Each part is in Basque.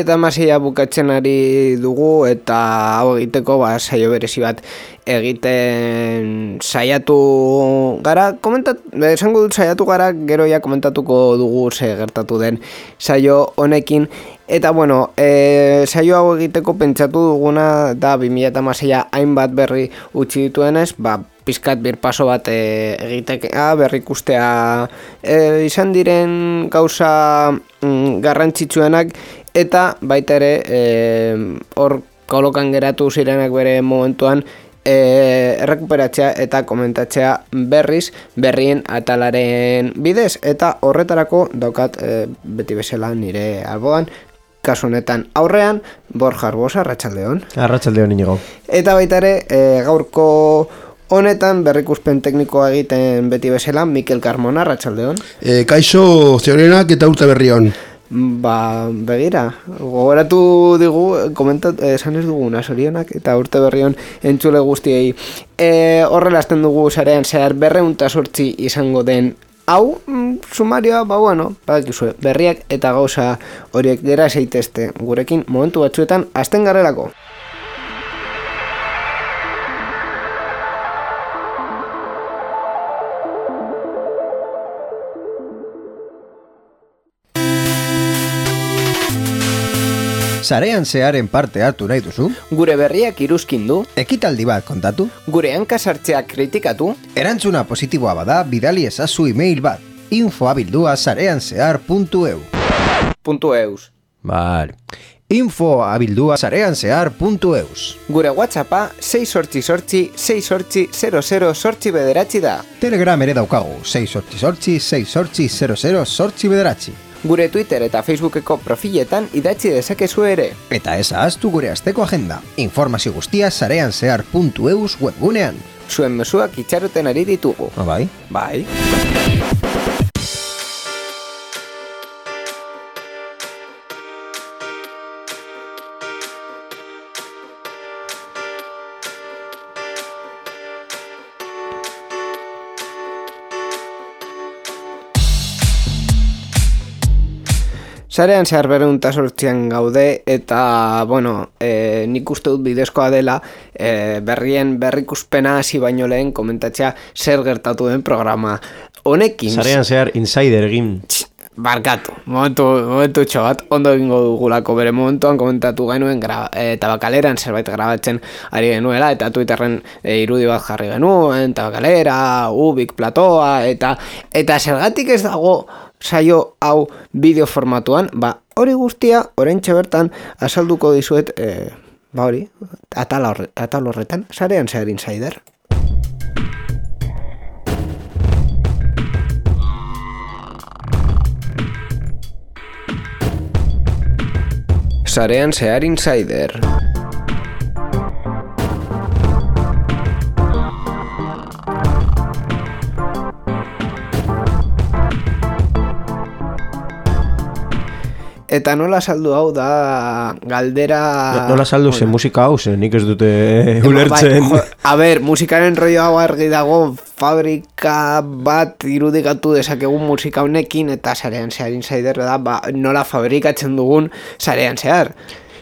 Eta masila bukatzen ari dugu eta hau egiteko saio berezi bat egiten saiatu gara, esango dut saiatu gara, gero ja komentatuko dugu ze gertatu den saio honekin. Eta bueno, saio hau egiteko pentsatu duguna da 2016 hainbat berri utzi dituenez, pizkat birpaso bat egitekea, berrikustea izan diren gauza garrantzitsuenak, eta baita ere hor kolokan geratu zirenak bere momentuan errekuperatzea eta komentatzea berrien atalaren bidez, eta horretarako daukat beti bezala nire alboan, kasu honetan aurrean Borja Arbosa, arratsaldeon. Arratsaldeon Inigo. Eta baita ere gaurko honetan berrikuspen teknikoa egiten beti bezala Mikel Carmona, arratsaldeon. Kaixo zorionak eta urte berri on. Begira, gogoratu digu, esan ez duguna zorionak eta urte berri on entzule guztiei. Horrela hasten dugu sarean zehar 208 izango den hau, sumarioa, badakizue, berriak eta gauza horiek gera zeitezte gurekin momentu batzuetan hasten garelako. Sarean zearen parte hartu nahi duzu? Gure berriak iruzkindu? Ekitaldi bat kontatu? Gure hankasartzeak kritikatu? Erantzuna positiboa bada, bidali ezazu email bat. info@sareanzehar.eu Vale. info@sareanzehar.eus Gure WhatsAppa 688-688-00-bederatzi da. Telegram ere daukagu, 688-688-00-bederatzi. Gure Twitter eta Facebookeko profiletan idatzi dezakezu ere. Eta ez ahaztu gure asteko agenda. Informazio guztia sareanzehar.eus webgunean. Zuen mezuak itxaroten ari ditugu. Bai? Bai. Sarean zehar 208an gaude eta, nik uste dut bidezkoa dela berrien berrikuspena hasi baino lehen komentatzea zer gertatu den programa honekin. Sarean zehar insider egin. Barkatu, momentu txobat, ondo egingo dugulako bere momentuan komentatu genuen Tabakaleran zerbait grabatzen ari genuela, eta Twitterren irudi bat jarri genuen, Tabakalera, Ubik, Platoa, eta zergatik ez dago saio hau bideo formatuan, hori guztia, oraintxe bertan, azalduko dizuet, atal horretan, Sarean zehar insider. Sarean zehar insider. Eta nola saldu hau da galdera... Nola saldu zen musika hau zen, nik ez dute ulertzen. Musikaren rollo hau argi dago, fabrika bat irudikatu dezakegun musika honekin, eta Sarean zehar insider da, nola fabrikatzen dugun Sarean zehar.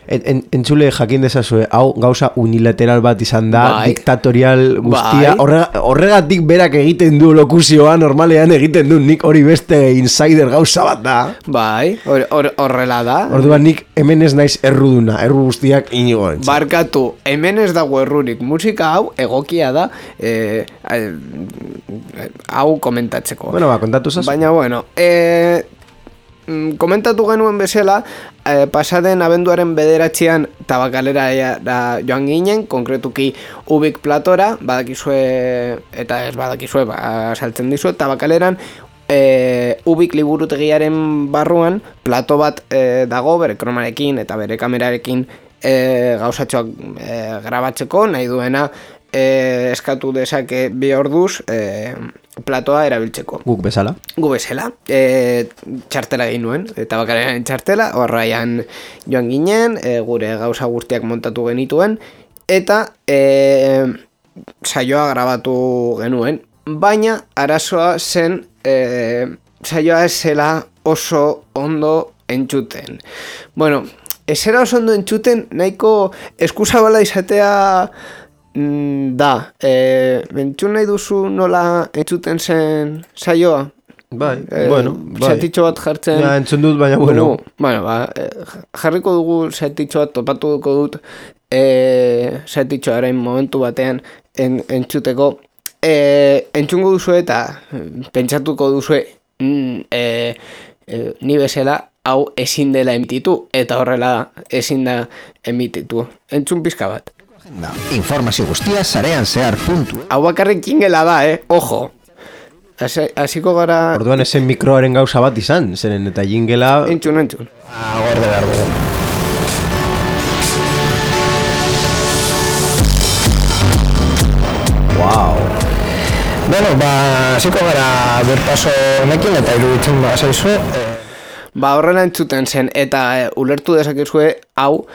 Entzule jakin dezazue, hau gauza unilateral bat izan da, diktatorial guztia, horregatik berak egiten du lokuzioa, normalean egiten du, nik hori beste insider gauza bat da. Horrela da. Orduan nik hemen ez naiz erruduna, erru guztiak Inigo entzat. Barkatu, hemen ez dago errurik, musika hau egokia da, hau komentatzeko. Kontatu zazu. Baina, komentatu genuen bezala, pasaden abenduaren 9 Tabakalera joan ginen, konkretuki Ubik Platora, badakizue, eta ez badakizue, saltzen dizue, Tabakaleran, Ubik liburutegiaren barruan, plato bat dago, bere kromarekin eta bere kamerarekin gauzatxoak grabatzeko, nahi duena eskatu dezake 2 orduz platoa erabiltzeko. Guk bezala. Gu bezala. Txartela egin nuen, eta bakararen txartela, horraian joan ginen, gure gauza guztiak montatu genituen, eta saioa grabatu genuen, baina arazoa zen saioa ez zela oso ondo entzuten. Bueno, ez zera oso ondo entzuten, nahiko eskuzabala izatea da. Entzun nahi duzu nola entzuten zen saioa? Bai, bueno, bai. Zatitxo bat jartzen... Ja, entzun dut, baina bueno. Bueno, jarriko dugu zatitxo bat, topatu duko dut zatitxoaren momentu batean entzuteko. Entzungo duzu eta pentsatuko duzu ni bezala hau ezin dela emititu, eta horrela ezin da emititu. Entzun pizka bat. Informazio guztia sarean zehar puntu. Hau bakarrik jingela da, ojo. Hasiko gara... Orduan esen mikroaren gauza bat izan, zeren eta jingela... Entzun. Gorde behar dugu. Wow. Bueno, hasiko gara berpaso honekin eta iruditzen zaizu. Horrela entzuten zen, eta ulertu dezakezue hau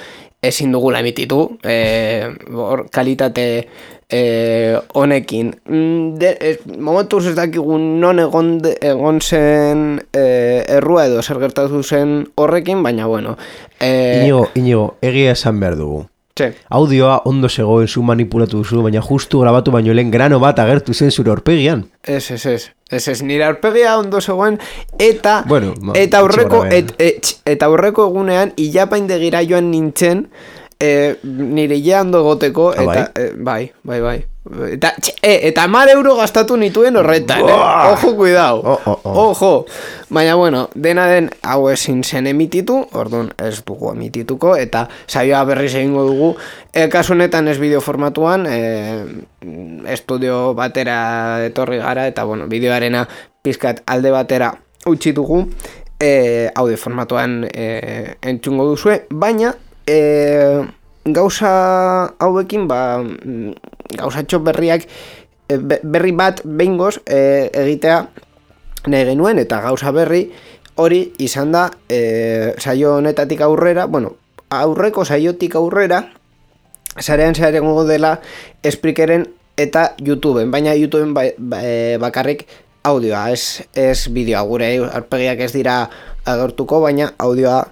ezin dugula emititu, kalitate honekin. Momentuz ez dakigun non egon zen errua edo zer gertatu zen horrekin, baina bueno. Inigo, egia esan behar dugu. Txe. Audioa ondo zegoen zu manipulatu duzu, baina justu grabatu baino lehen grano bat agertu zen zure aurpegian. Ez, nire aurpegia ondo zegoen, eta bueno, eta aurreko egunean ilapaindegira joan nintzen, nire ia ondo egoteko, eta bai. Eta 10 euro gastatu nituen horretan, Ojo, cuidao. Ojo. Baina, bueno, dena den hau ezin zen emititu, orduan ez dugu emitituko, eta saioa berriz egingo dugu. Kasu honetan ez bideo formatuan, estudio batera etorri gara, eta, bueno, bideoarena pizkat alde batera utzi dugu, audio formatuan entzungo duzue, baina... gauza hauekin gauzatxo berriak berri bat behingoz egitea nahi genuen, eta gauza berri hori izan da saio honetatik aurrera, bueno, aurreko saiotik aurrera sarean zeharengo dela Spreakeren eta YouTubeen, baina YouTubeen bakarrik audioa, ez bideoa, gure aurpegiak ez dira agertuko, baina audioa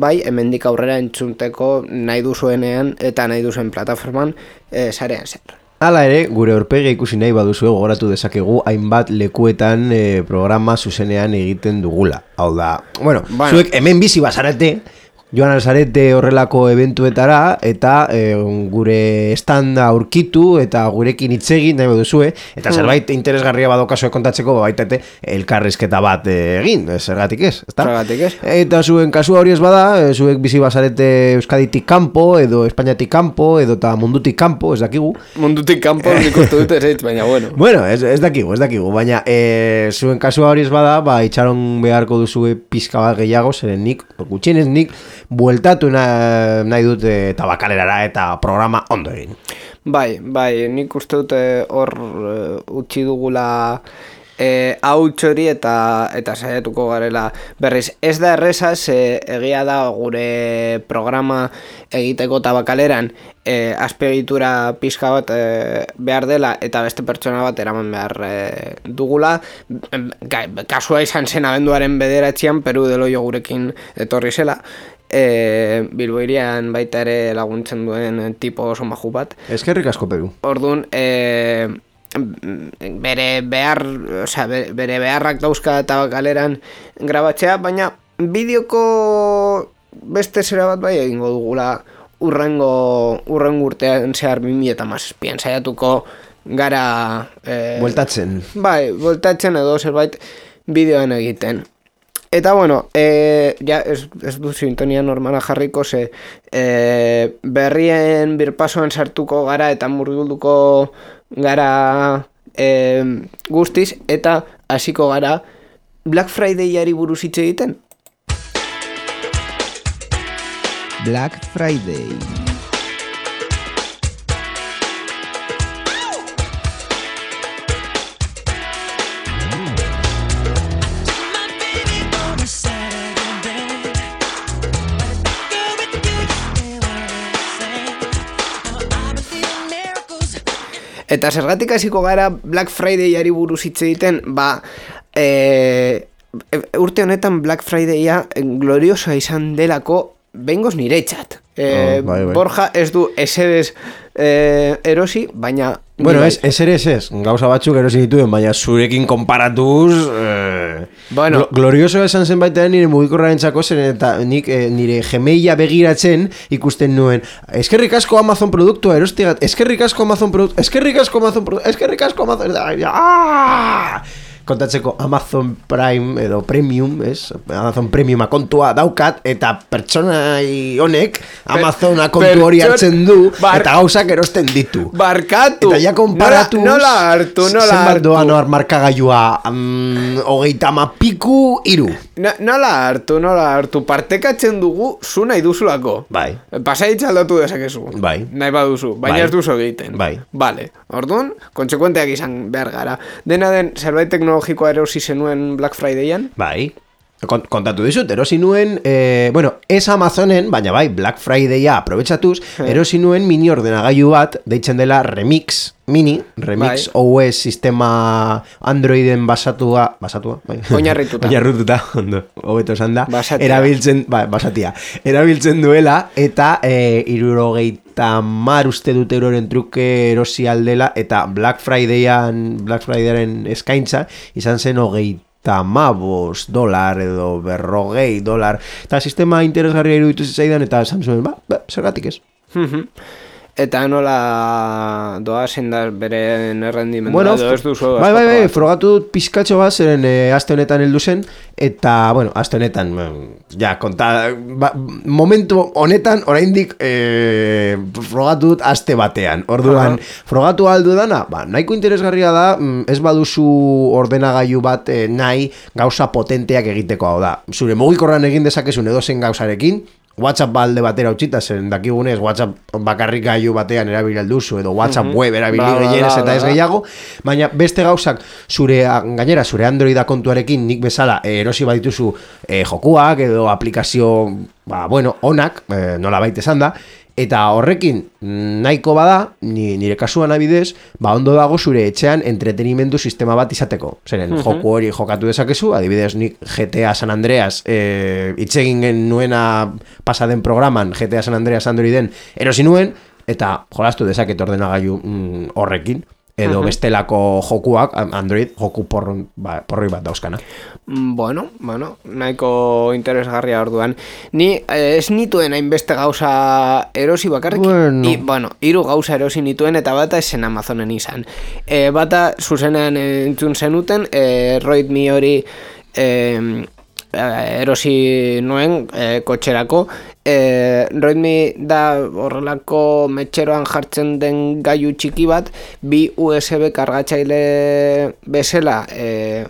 bai, hemendik aurrera entzunteko nahi duzuenean eta nahi duzuen plataforman sarean zer. Hala ere, gure aurpegia ikusi nahi baduzu gogoratu dezakegu hainbat lekuetan programa zuzenean egiten dugula. Hau da, bueno, zuek hemen bizi bazarete, joan alzarete horrelako eventuetara, eta gure estanda aurkitu eta gurekin hitzegin nahi baduzue, eta zerbait interesgarria badokazue kontatzeko, baitete elkarrizketa bat egin, zergatik ez, ezta? Zergatik ez. Eta zuen kasua hori ez bada, zuek bizi bazarete Euskaditik kanpo, edo Espainiatik kanpo, edo eta mundutik kanpo, ez dakigu. Mundutik kanpo, nik uste dut ez, baina bueno. Bueno, ez dakigu, baina zuen kasua hori ez bada, itxaron beharko duzue pizka bat gehiago, zeren nik, gutxienez nik, bueltatu nahi dut tabakalerara eta programa ondo egin. Bai, nik uste dut hor utzi dugula hauts hori eta saiatuko garela berriz. Ez da erreza, egia da gure programa egiteko tabakaleran azpiegitura pizka bat behar dela eta beste pertsona bat eraman behar dugula. Kasua izan zen abenduaren 9 Peru de Loio gurekin etorri zela. Bilbo hirian baita ere laguntzen duen tipo oso maju bat. Eskerrik asko, Peru. Orduan, bere beharrak dauzka tabakaleran grabatzea, baina bideoko beste zera bat bai egingo dugula urrengo urtean zehar 2017 saiatuko gara bueltatzen. Bai, bueltatzen edo zerbait bideoan egiten. Eta bueno, ja ez du sintonia normala jarriko, berrien birpasoan sartuko gara eta murgilduko gara guztiz, eta hasiko gara Black Friday-ari buruz hitz egiten. Black Friday. Eta zergatik hasiko gara Black Friday-ari buruz hitz egiten, urte honetan Black Friday-a gloriosoa izan delako behingoz niretzat. Bai. Borja ez du eserez erosi, baina... Bueno, eserez ez, gauza batzuk erosi dituen, baina zurekin konparatuz... Bueno. Gloriosoa esan zen baitean nire mugikorraren txako zen, eta nik nire Gmaila begiratzen ikusten nuen. Eskerrik asko Amazon produktua erostigat, eskerrik asko Amazon produktua, eskerrik asko Amazon... Kontatzeko Amazon Prime edo Premium, Amazon Premium akontua daukat, eta pertsona honek Amazon akontu hori hartzen du, eta gauzak erosten ditu. Barkatu! Eta ja konparatuz... Nola hartu. Zenbat doan hor markagailua 30 piku 3. Nola hartu. Partekatzen dugu zu nahi duzulako. Bai. Pasaitza aldatu dezakezu. Bai. Nahi baduzu, baina ez duzu egiten. Bai. Vale. Orduan, kontsekuenteak izan behar gara. Dena den, zerbait teknologikoa erosi zenuen Black Friday-an? Bai. Kontatu dizut, erosi nuen, ez Amazonen, baina bai, Black Friday-a aprobetxatuz, erosi nuen mini ordenagailu bat, deitzen dela Remix Mini, Remix OS sistema Androiden basatua, bai. Oinarrituta, ondo, hobeto esan da, erabiltzen duela, eta 70 uste dut euroren truke erosi aldela, eta Black Friday-aren eskaintza, izan zen $50 edo $40, eta sistema interesgarria iruditu zitzaidan, eta esan zuen, zergatik ez. Eta nola doazen da beren errendimendua, edo ez duzu? Bai, frogatu dut pizkatxo bat, zeren aste honetan heldu zen, eta, aste honetan, momentu honetan, oraindik frogatu dut aste batean. Orduan, frogatu aldu dana, nahiko interesgarria da, ez baduzu ordenagailu bat nahi gauza potenteak egiteko, hau da. Zure mugikorran egin dezakezun edozen gauzarekin, WhatsApp balde batera utxita, zen dakigunez WhatsApp bakarrik gailu batean erabili alduzu, edo WhatsApp web erabili gehienez eta ez gehiago, baina beste gauzak gainera zure Androida kontuarekin nik bezala erosi badituzu jokuak edo aplikazio onak, nola baita esan da, eta horrekin nahiko bada, nire kasuan abidez, ondo dago zure etxean entretenimendu sistema bat izateko. Zeren, joku hori jokatu dezakezu, adibidez nik GTA San Andreas itzegin nuena pasaden programan GTA San Andreas Androiden erosi nuen, eta jolastu dezaket ordenagailu horrekin. Edo bestelako jokuak, Android, joku porroi bat dauzkana. Bueno, nahiko interesgarria orduan. Ni ez nituen hainbeste gauza erosi bakarrik. Hiru gauza erosi nituen eta bata esen Amazonen izan. Bata zuzenean entzun zenuten, Roidmi hori erosi nuen kotxerako. Roidmi da horrelako metxeroan jartzen den gailu txiki bat, bi USB kargatzaile bezala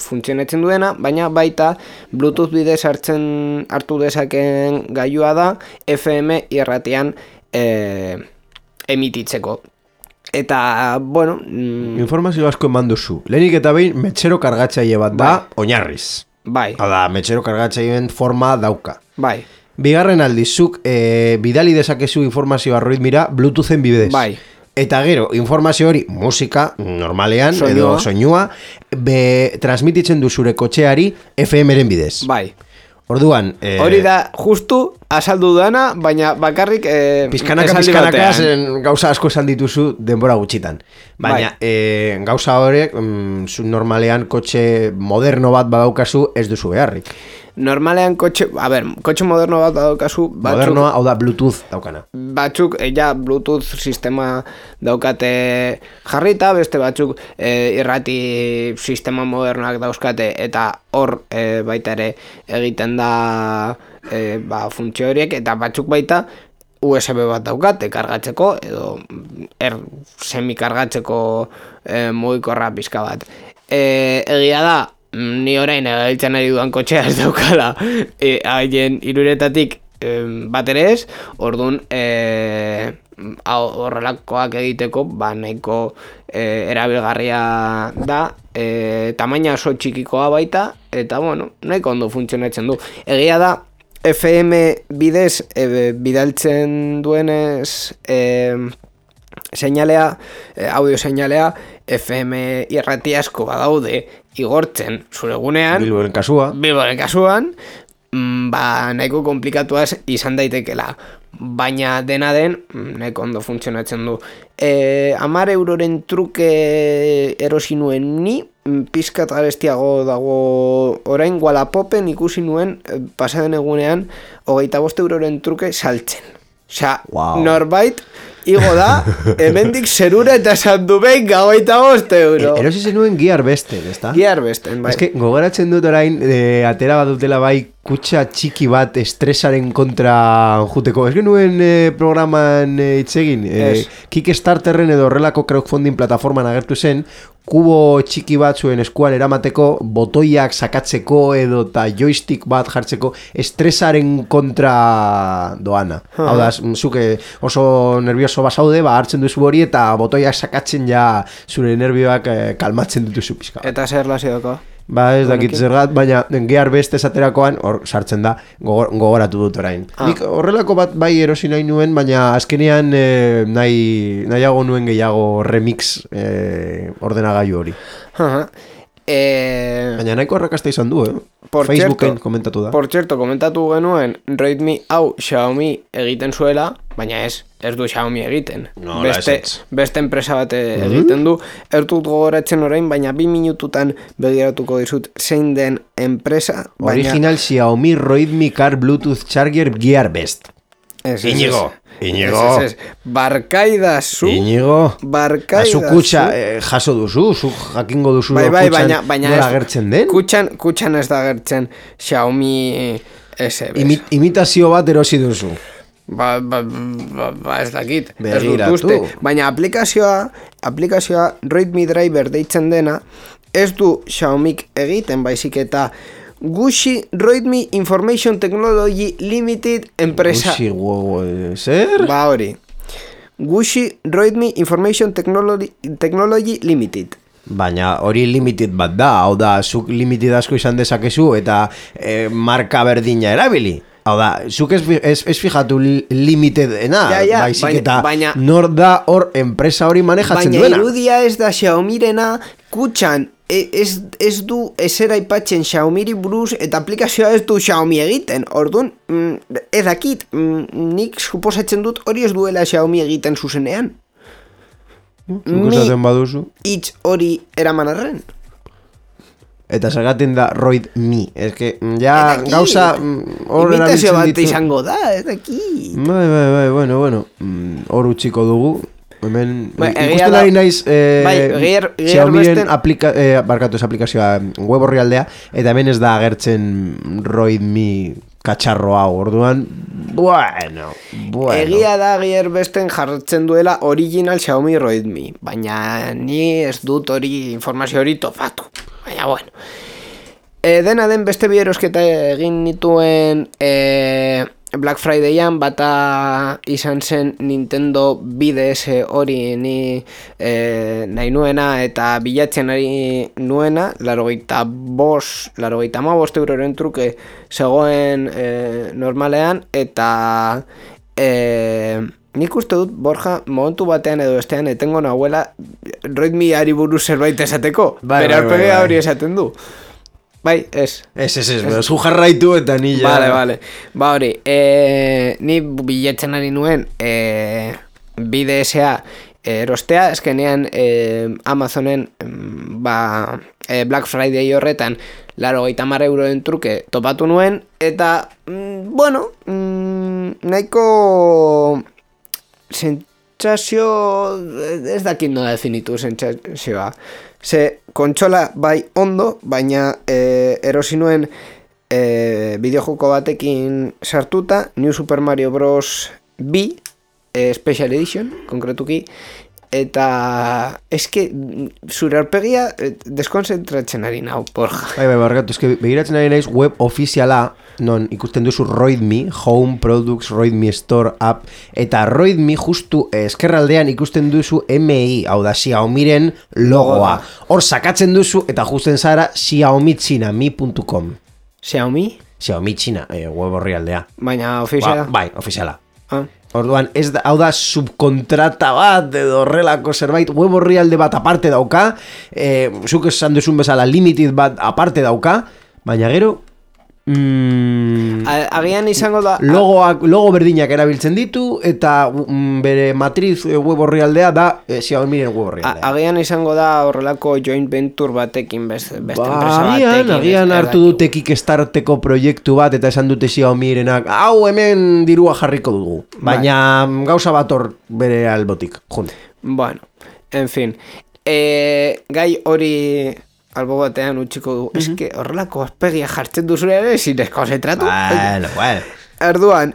funtzionetzen duena, baina baita Bluetooth bidez hartu dezaken gailua da FM irratian emititzeko. Eta, informazio asko eman duzu. Lehenik eta behin metxero kargatzaile bat da, oinarriz. Bai. Hala, metxero kargatzaileen forma dauka. Bai. Bigarren aldizuk, bidali dezakezu informazioa Roidmira Bluetoothen bidez. Bai. Eta gero, informazio hori, musika, normalean, edo soinua, transmititzen du zure kotxeari FM-ren bidez. Bai. Orduan... hori da, justu, azaldu dana, baina bakarrik pizkanaka gauza asko esan dituzu denbora gutxitan. Baina gauza horrek, normalean kotxe moderno bat badaukazu ez duzu beharrik. Normalean kotxe moderno bat daukazu, modernoa, hau da Bluetooth daukana. Batzuk, Bluetooth sistema daukate jarrita, beste batzuk irrati sistema modernoak dauzkate, eta hor baita ere egiten da funtzio horiek, eta batzuk baita USB bat daukate kargatzeko, edo semi-kargatzeko mugikorra pizka bat. Egia da, ni orain egabiltzen ari duan kotxea ez daukala haien iruretatik bat ere ez, orduan horrelakoak egiteko nahiko erabilgarria da, tamaina oso txikikoa baita, eta bueno, nahiko ondo funtzionatzen du. Egia da, FM bidez bidaltzen duenez seinalea, audio seinalea, FM irrati asko badaude igortzen zure gunean, Bilboren kasuan, nahiko komplikatuaz izan daitekela, baina dena den nahiko ondo funtzionatzen du. 10 euroren truke erosi nuen ni, pizkat garestiago dago orain Wallapopen ikusi nuen pasaden egunean 25 euroren truke saltzen. Osea, norbait igo da, hemendik zerura eta esan du behin 25 euro. Erosi zenuen Gearbesten, ezta? Gearbesten, bai. Ez que gogoratzen dut orain, atera bat dutela bai, kutxa txiki bat estresaren kontra juteko. Ez genuen programan itzegin, Kickstarterren edo horrelako crowdfunding plataforman agertu zen, kubo txiki bat zuen eskuan eramateko, botoiak sakatzeko edo eta joystick bat jartzeko estresaren kontra doana. Hau da, zuke oso nervioso basaude, hartzen duzu hori eta botoiak sakatzen ja zure nervioak kalmatzen dituzu pizka. Eta zer lazioko? Ez dakit zergat, baina Gearbest esaterakoan hor sartzen da, gogoratu dut orain. Nik horrelako bat bai erosi nahi nuen, baina azkenean nahiago nuen gehiago remix ordenagailu hori. Baina nahiko arrakasta izan du, Facebooken komentatu da. Por cierto, komentatu genuen Redmi hau Xiaomi egiten zuela, baina ez du Xiaomi egiten. Beste enpresa bat egiten du. Ez dut gogoratzen orain, baina 2 minututan begiratuko dizut zein den enpresa. Original Xiaomi Redmi Car Bluetooth Charger Gearbest. Iñigo. Barkaidazu. Iñigo. Zu kutxa jaso duzu, zu jakingo duzu nola agertzen den. Kutxan ez da agertzen Xiaomi SBS. Imitazio bat erosi duzu. Ez dakit. Begiratu. Baina aplikazioa Redmi Driver deitzen dena ez du Xiaomik egiten, baizik eta Gushi Redmi Information Technology Limited enpresa. Zer? Hori. Gushi Redmi Information Technology Limited. Baina hori limited bat da, hau da, zuk limited asko izan dezakezu eta marka berdina erabili. Hau da, zuk ez fijatu limitedena, baizik eta nor da hor enpresa hori manejatzen duena. Baina irudia ez da Xiaomirena kutxan, ez du esera aipatzen Xiaomiri buruz eta aplikazioa ez du Xiaomi egiten. Orduan, edakit, nik suposatzen dut hori ez duela Xiaomi egiten zuzenean. Zukosaten baduzu. Hitz hori eraman arren. Eta zergaten da Roid Mi. Ez que, ja, gauza... Imitazio bat izango da, ez daki. Bai, bueno. Hor utxiko dugu. Hemen, ikusten ari naiz Xiaomiren aplikazioa web orrialdea, eta hemen ez da agertzen Redmi katxarro hau, orduan, bueno. Egia da Gearbesten jartzen duela original Xiaomi Redmi, baina ni ez dut hori informazio hori topatu, baina bueno. Dena den beste bi erosketa egin nituen Black Fridayan, bata izan zen Nintendo 3DS hori ni nahi nuena eta bilatzen ari nuena, 85 euroren truke zegoen normalean, eta nik uste dut, Borja, momentu batean edo bestean etengo nahuela Redmi ari buruz zerbait esateko, bere aurpegia hori esaten du. Bai, ez. Zu jarraitu eta ni ja... Vale. Hori, ni bilatzen ari nuen 3DSa erostea, eskenean Amazonen Black Friday horretan 80 euroen truke topatu nuen, eta, bueno, nahiko sentsazio, ez dakit nola definitu sentsazioa. Ze kontsola bai ondo, baina erosi nuen bideojoko batekin sartuta, New Super Mario Bros. B Special Edition, konkretuki, eta eske zure aurpegia deskonzentratzen ari nau, porja. Bai, barkatu, eske begiratzen ari naiz web ofiziala, non ikusten duzu ROIDME, Home Products ROIDME Store App, eta ROIDME justu eskerraldean ikusten duzu MI, hau da Xiaomiren logoa. Hor sakatzen duzu eta justen zara xiaomichinami.com. Xiaomi? Xiaomi China, web orrialdea. Baina ofiziala? Bai, ofiziala. Orduan, hau da subkontrata bat edo horrelako zerbait, web orrialde bat aparte dauka, zuk esan duzun bezala limited bat aparte dauka, baina gero agian izango da logo berdinak erabiltzen ditu eta bere matriz web orrialdea da Xiaomiren web orrialdea. Agian izango da horrelako joint venture batekin beste enpresa batekin. Agian hartu dute Kickstarteko proiektu bat eta esan dute Xiaomirenak hau hemen dirua jarriko dugu, baina gauza bat hor bere albotik jun. Bueno, en fin, gai hori albo batean utxiko du. Eske horrelako aspegia jartzen duzu ere zinezko zentratu. Bueno. Erduan,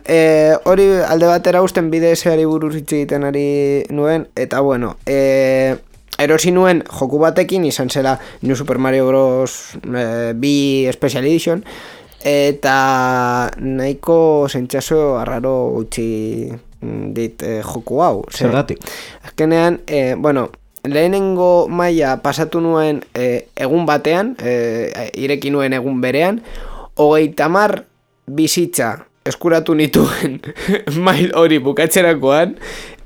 hori alde batera usten BDS-ari buruz hitz egiten ari nuen, eta bueno, erosi nuen joku batekin, izan zela New Super Mario Bros. 2 Special Edition, eta nahiko zentxaso arraro utzi dit joku hau. Zergatik? Azkenean, bueno, lehenengo maila pasatu nuen egun batean, ireki nuen egun berean, 30 bizitza eskuratu nituen mail hori bukatzerakoan,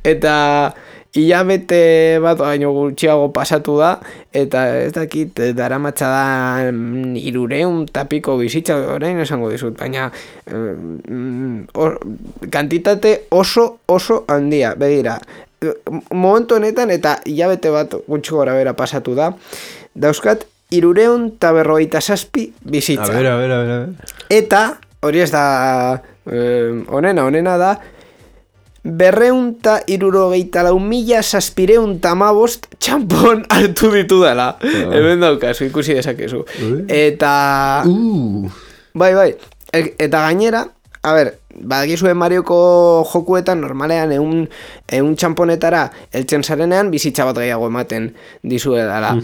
eta hilabete bat baino gutxiago pasatu da, eta ez dakit daramatza da 300 eta piko bizitza, orain esango dizut, baina kantitate oso handia, begira. Momentu honetan eta hilabete bat gutxi gora bera pasatu da, dauzkat 357 bizitza. A ver. Eta, hori ez da onena da 264.715 txampon hartu ditu dela. Hemen daukazu, ikusi dezakezu. Eta bai, eta gainera, a ber, badakizue Marioko jokuetan normalean ehun txamponetara heltzen zarenean bizitza bat gehiago ematen dizuela.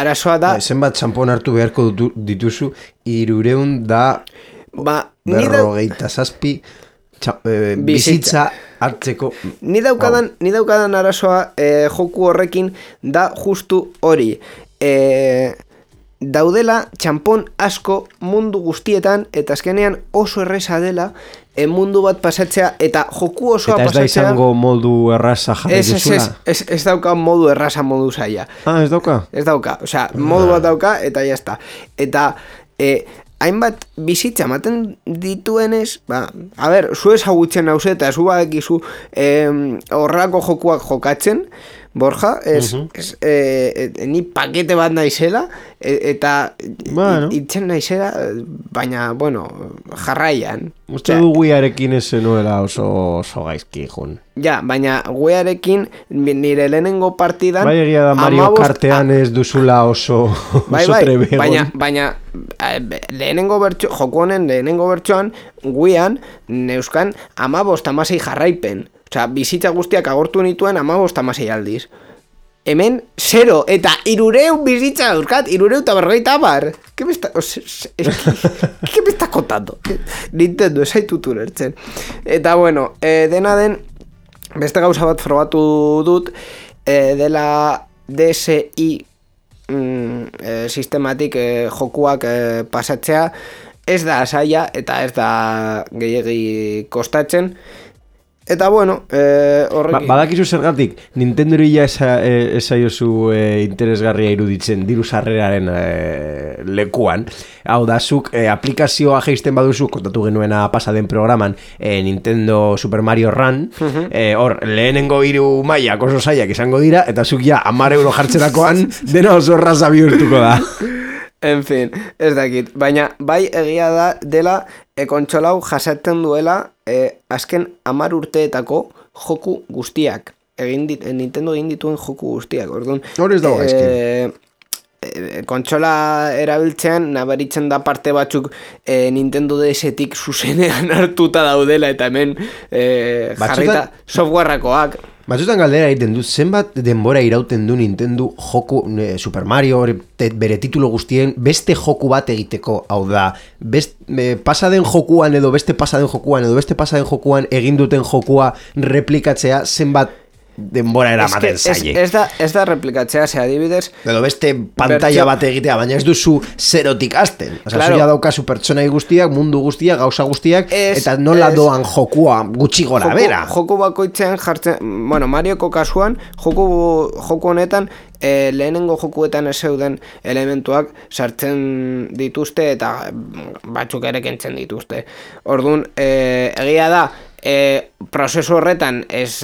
Arazoa da... Zenbat txampon hartu beharko dituzu 357 bizitza hartzeko... Ni daukadan arazoa joku horrekin da justu hori. Daudela txampon asko mundu guztietan, eta azkenean oso erresa dela mundu bat pasatzea, eta joku osoa pasatzea... Eta ez da izango modu erraza jarri duzula? Ez dauka modu erraza, modu zaila. Ez dauka? Ez dauka, osea, modu bat dauka, eta jazta. Eta hainbat bizitza ematen dituenez, a ber, zu ezagutzen hauze, eta zu badakizu horrelako jokuak jokatzen, Borja, ni pakete bat naizela, eta itzen naizela, baina, bueno, jarraian. Uste du guiarekin ez zenuela oso gaizki, jun. Ja, baina guiarekin nire lehenengo partidan... Bai, egia da Mario Kartean ez duzula oso trebegon. Baina lehenengo bertso, joku honen lehenengo bertsoan, guian, neuzkan 15-16 jarraipen. Osea, bizitza guztiak agortu nituen 15-16 aldiz. Hemen, 0, eta 300 bizitza dauzkat, 350. ¿Qué me está contando? Nintendo, ez zaitut ulertzen. Eta, bueno, dena den, beste gauza bat frogatu dut, dela DSi sistematik jokuak pasatzea, ez da zaila eta ez da gehiegi kostatzen. Eta bueno, horrekin... Badakizu zergatik, Nintendo ya esaiozu interesgarria iruditzen diru sarreraren lekuan. Hau da, zuk aplikazioa jeisten baduzu, kontatu genuena pasaden programan, Nintendo Super Mario Run, hor, lehenengo 3 mailak oso zailak izango dira, eta zuk ja 10 euro jartzerakoan dena oso erraza bihurtuko da. En fin, ez dakit, baina bai egia da dela kontsolau jasaten duela azken 10 urteetako joku guztiak. Nintendo egin dituen joku guztiak. Orduan, hor ez dago gaizki. Kontsola erabiltzean nabaritzen da parte batzuk Nintendo DS-tik zuzenean hartuta daudela eta hemen jarrita softwareakoak. Batzutan galdera egiten du, zenbat denbora irauten du Nintendo joku Super Mario bere titulo guztien beste joku bat egiteko, hau da, pasaden jokuan edo beste pasaden jokuan egin duten jokua replikatzea zenbat denbora eramaten zaie. Ez da replikatzea, ze adibidez... Edo beste pantalla bat egitea, baina ez duzu zerotik azten. Claro. Zuia daukazu pertsonai guztiak, mundu guztiak, gauza guztiak, eta nola doan jokua gutxi gora bera. Joku bakoitzean jartzen... Bueno, Marioko kasuan, joku honetan, lehenengo jokuetan ez zeuden elementuak sartzen dituzte eta batzuk ere kentzen dituzte. Orduan, egia da, prozesu horretan ez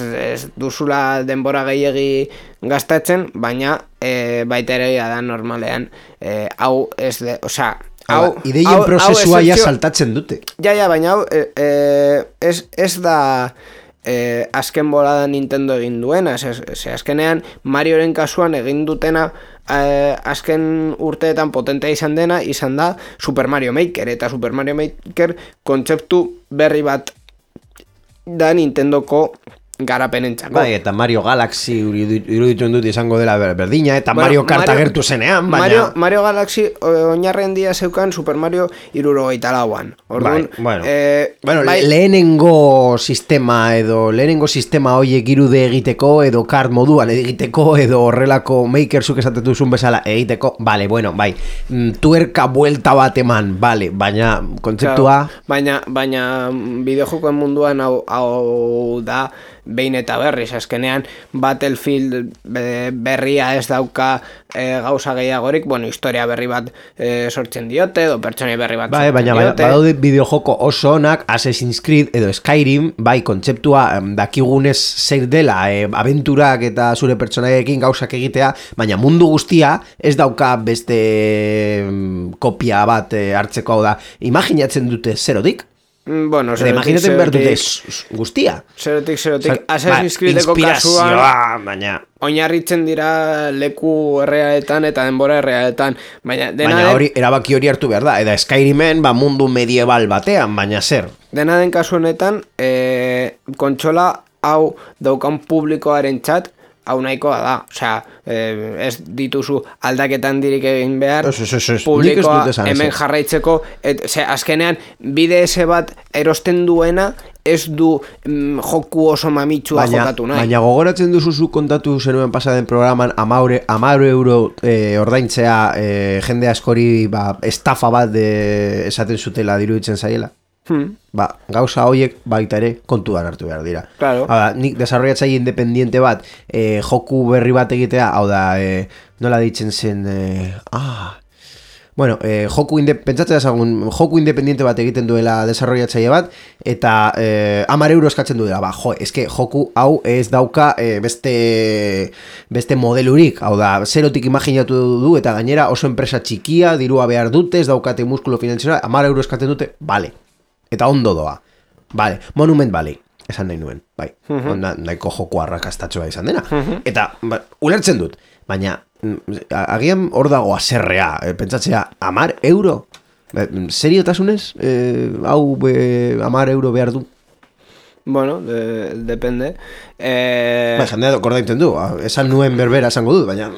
duzula denbora gehiegi gastatzen, baina baita ere da normalean hau ez de, osea, ideien prozesua ja saltatzen dute. Ja, baina hau ez da azken bolada Nintendo egin duena, ze azkenean Marioren kasuan egin dutena azken urteetan potentea izan da Super Mario Maker, eta Super Mario Maker kontzeptu berri bat da Nintendoko garapenentzako. Bai, eta Mario Galaxy iruditzen dut izango dela berdina, eta Mario Kart agertu zenean, baina... Mario Galaxy oinarren dia zeukan Super Mario 74an. Orduan, lehenengo sistema horiek irude egiteko, edo kart moduan egiteko, edo horrelako Maker zuk esaten duzun bezala egiteko, bai, tuerka buelta bat eman, baina kontzeptua... Baina bideojokoen munduan hau da behin eta berriz, azkenean Battlefield berria ez dauka gauza gehiagorik, historia berri bat sortzen diote, edo pertsonai berri bat sortzen diote. Baina badaude bideojoko oso onak, Assassin's Creed edo Skyrim, bai, kontzeptua dakigunez zer dela, abenturak eta zure pertsonaiekin gauzak egitea, baina mundu guztia ez dauka beste kopia bat hartzeko, hau da, imaginatzen dute zerotik? Bueno, imaginaten behar dute guztia. Zerotik. Assassin's Creedeko kasuan oinarritzen dira leku errealetan eta denbora errealetan. Baina erabaki hori hartu behar da. Eta Skyrimen mundu medieval batean, baina zer. Dena den kasu honetan, kontsola hau daukan publikoaren txat, hau nahikoa da, osea, ez dituzu aldaketan dirik egin behar, publikoa hemen jarraitzeko, azkenean BDS bat erosten duena ez du joku oso mamitsua jokatu nahi. Baina gogoratzen duzu kontatu zenuen pasaden programan 10 euro ordaintzea jende askori estafa bat esaten zutela diruditzen zaiela. Gauza horiek baita ere kontuan hartu behar dira. Claro. Nik desarrollatzaile independiente bat joku berri bat egitea, hau da, nola ditzen zen, joku independiente bat egiten duela desarrollatzaile bat, eta 10 euro eskatzen duela, eske joku hau ez dauka beste modelurik, hau da, zerotik imaginatu du, eta gainera oso enpresa txikia, dirua behar dute, ez daukate muskulo finanziera, 10 euro eskatzen dute, bale. Eta ondo doa. Vale, Monument Valley, esan nahi nuen, bai. Nahiko joko arrakastatxoa izan dena. Eta, ulertzen dut, baina, agian hor dago aserrea, pentsatzea, 10 euro? Seriotasunez, hau 10 euro behar du? Bueno, depende. Jendea kordainten du, esan nuen berbera esango dut, baina...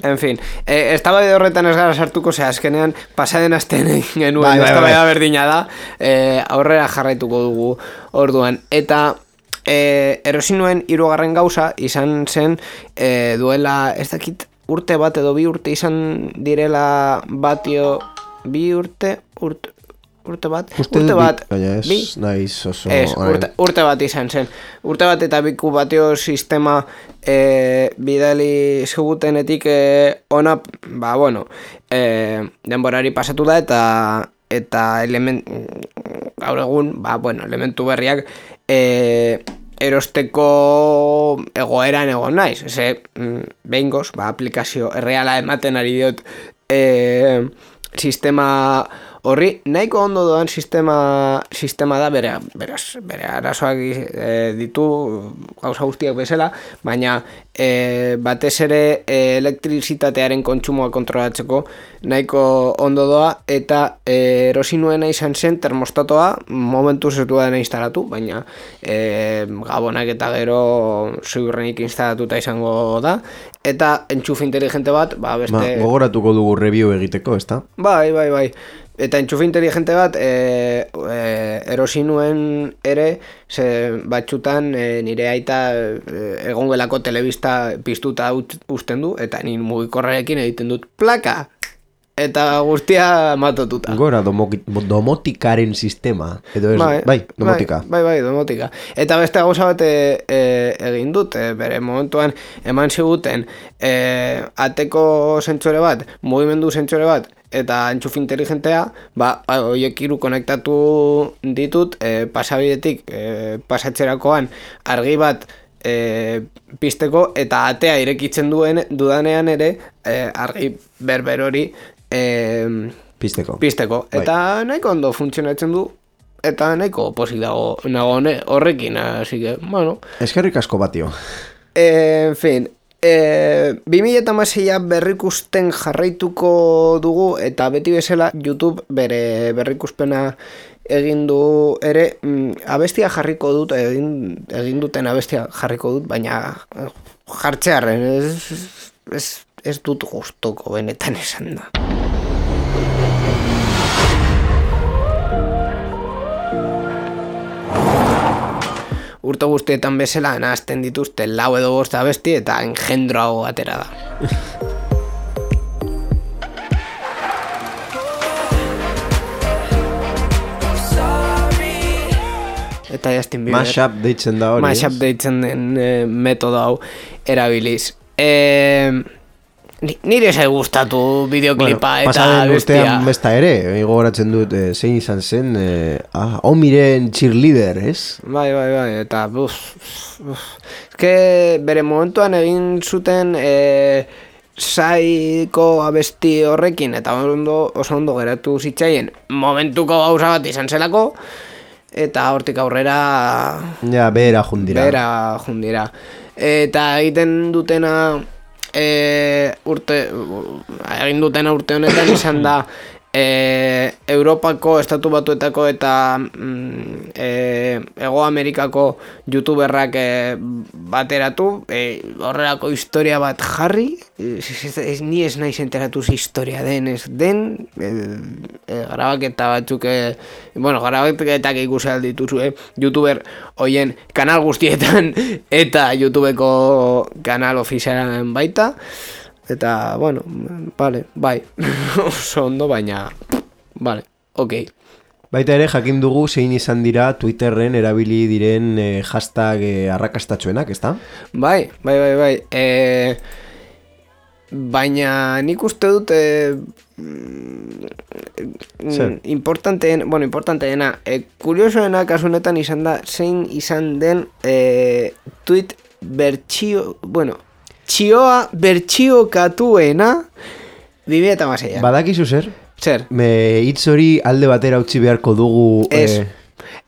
En fin, estaba de horretan ez gara sartuko, azkenean pasaden astean egin genuen, eztabaida berdina da, aurrera jarraituko dugu orduan. Eta erosi nuen 3. gauza izan zen duela, ez dakit urte bat edo 2 urte izan direla batio, 2 urte bat, urte bat izan zen. Urte bat eta biku batio sistema bidali zigutenetik ona, denborari pasatu da eta gaur egun, elementu berriak erosteko egoeran egon naiz. Behingoz, aplikazio erreala ematen ari diot sistema Horri, nahiko ondo doan sistema da bere arazoak ditu gauza guztiak bezala, baina batez ere elektrizitatearen kontsumoa kontrolatzeko nahiko ondo doa, eta erosi nuena izan zen termostatoa momentuz ez duena instalatu, baina gabonak eta gero ziurrenik instalatuta izango da, eta entxufe inteligente bat, beste... gogoratuko dugu review egiteko, ezta? Bai. Eta entxufe inteligente bat erosi nuen ere, batxutan nire aita egongelako telebista piztuta usten du, eta nire mugikorrarekin egiten dut plaka! Eta guztia matotuta. Gora, domotikaren sistema. Edo ez, domotika. Bai, domotika. Eta beste gauza bat egin dut, bere momentuan eman ziguten ateko zentsore bat, mugimendu zentsore bat, eta entxufe inteligentea, horiek hiru konektatu ditut, pasabidetik pasatzerakoan argi bat pizteko, eta atea irekitzen dudanean ere argi berber hori pizteko. Eta nahiko ondo funtzionatzen du, eta nahiko pozik dago horrekin, así que, bueno. Eskerrik asko batio. En fin, 2016 berrikusten jarraituko dugu, eta beti bezala YouTube bere berrikuspena egin du ere, abestia jarriko dut, egin duten abestia jarriko dut, baina jartzearren ez dut gustoko benetan esan da. Urte guztietan bezala nahazten dituzte 4 edo 5 abesti eta engendro hau atera da. Eta Justin Bieber. Mashup deitzen da hori. Mashup deitzen den metodo hau erabiliz. Nire zai gustatu bideoklipa eta pasaren bestia. Pasaden besta ere, gogoratzen dut, zein izan zen, Omiren cheerleader, ez? Bai, eta eske bere momentuan egin zuten saiko abesti horrekin, eta oso ondo geratu zitzaien momentuko gauza bat izan zelako, eta hortik aurrera... Ja, behera jundira. Eta egiten dutena... egin dutena urte honetan izan da Europako, Estatu Batuetako eta Hego Amerikako youtuberrak bateratu, horrelako historia bat jarri, ni ez naiz enteratuz historia den, grabaketa batzuk, grabaketak ikusi aldituzu, youtuber hoien kanal guztietan eta YouTubeko kanal ofizialan baita. Eta, bueno, bai, oso ondo, baina, ok. Baita ere, jakin dugu zein izan dira Twitterren erabili diren hashtag arrakastatxoenak, ezta? Bai. Baina nik uste dut importanteena, kuriosoena kasunetan izan da, zein izan den tweet bertsio, txioa bertsiokatuena 2016. Badakizu zer? Zer? Hitz hori alde batera utzi beharko dugu...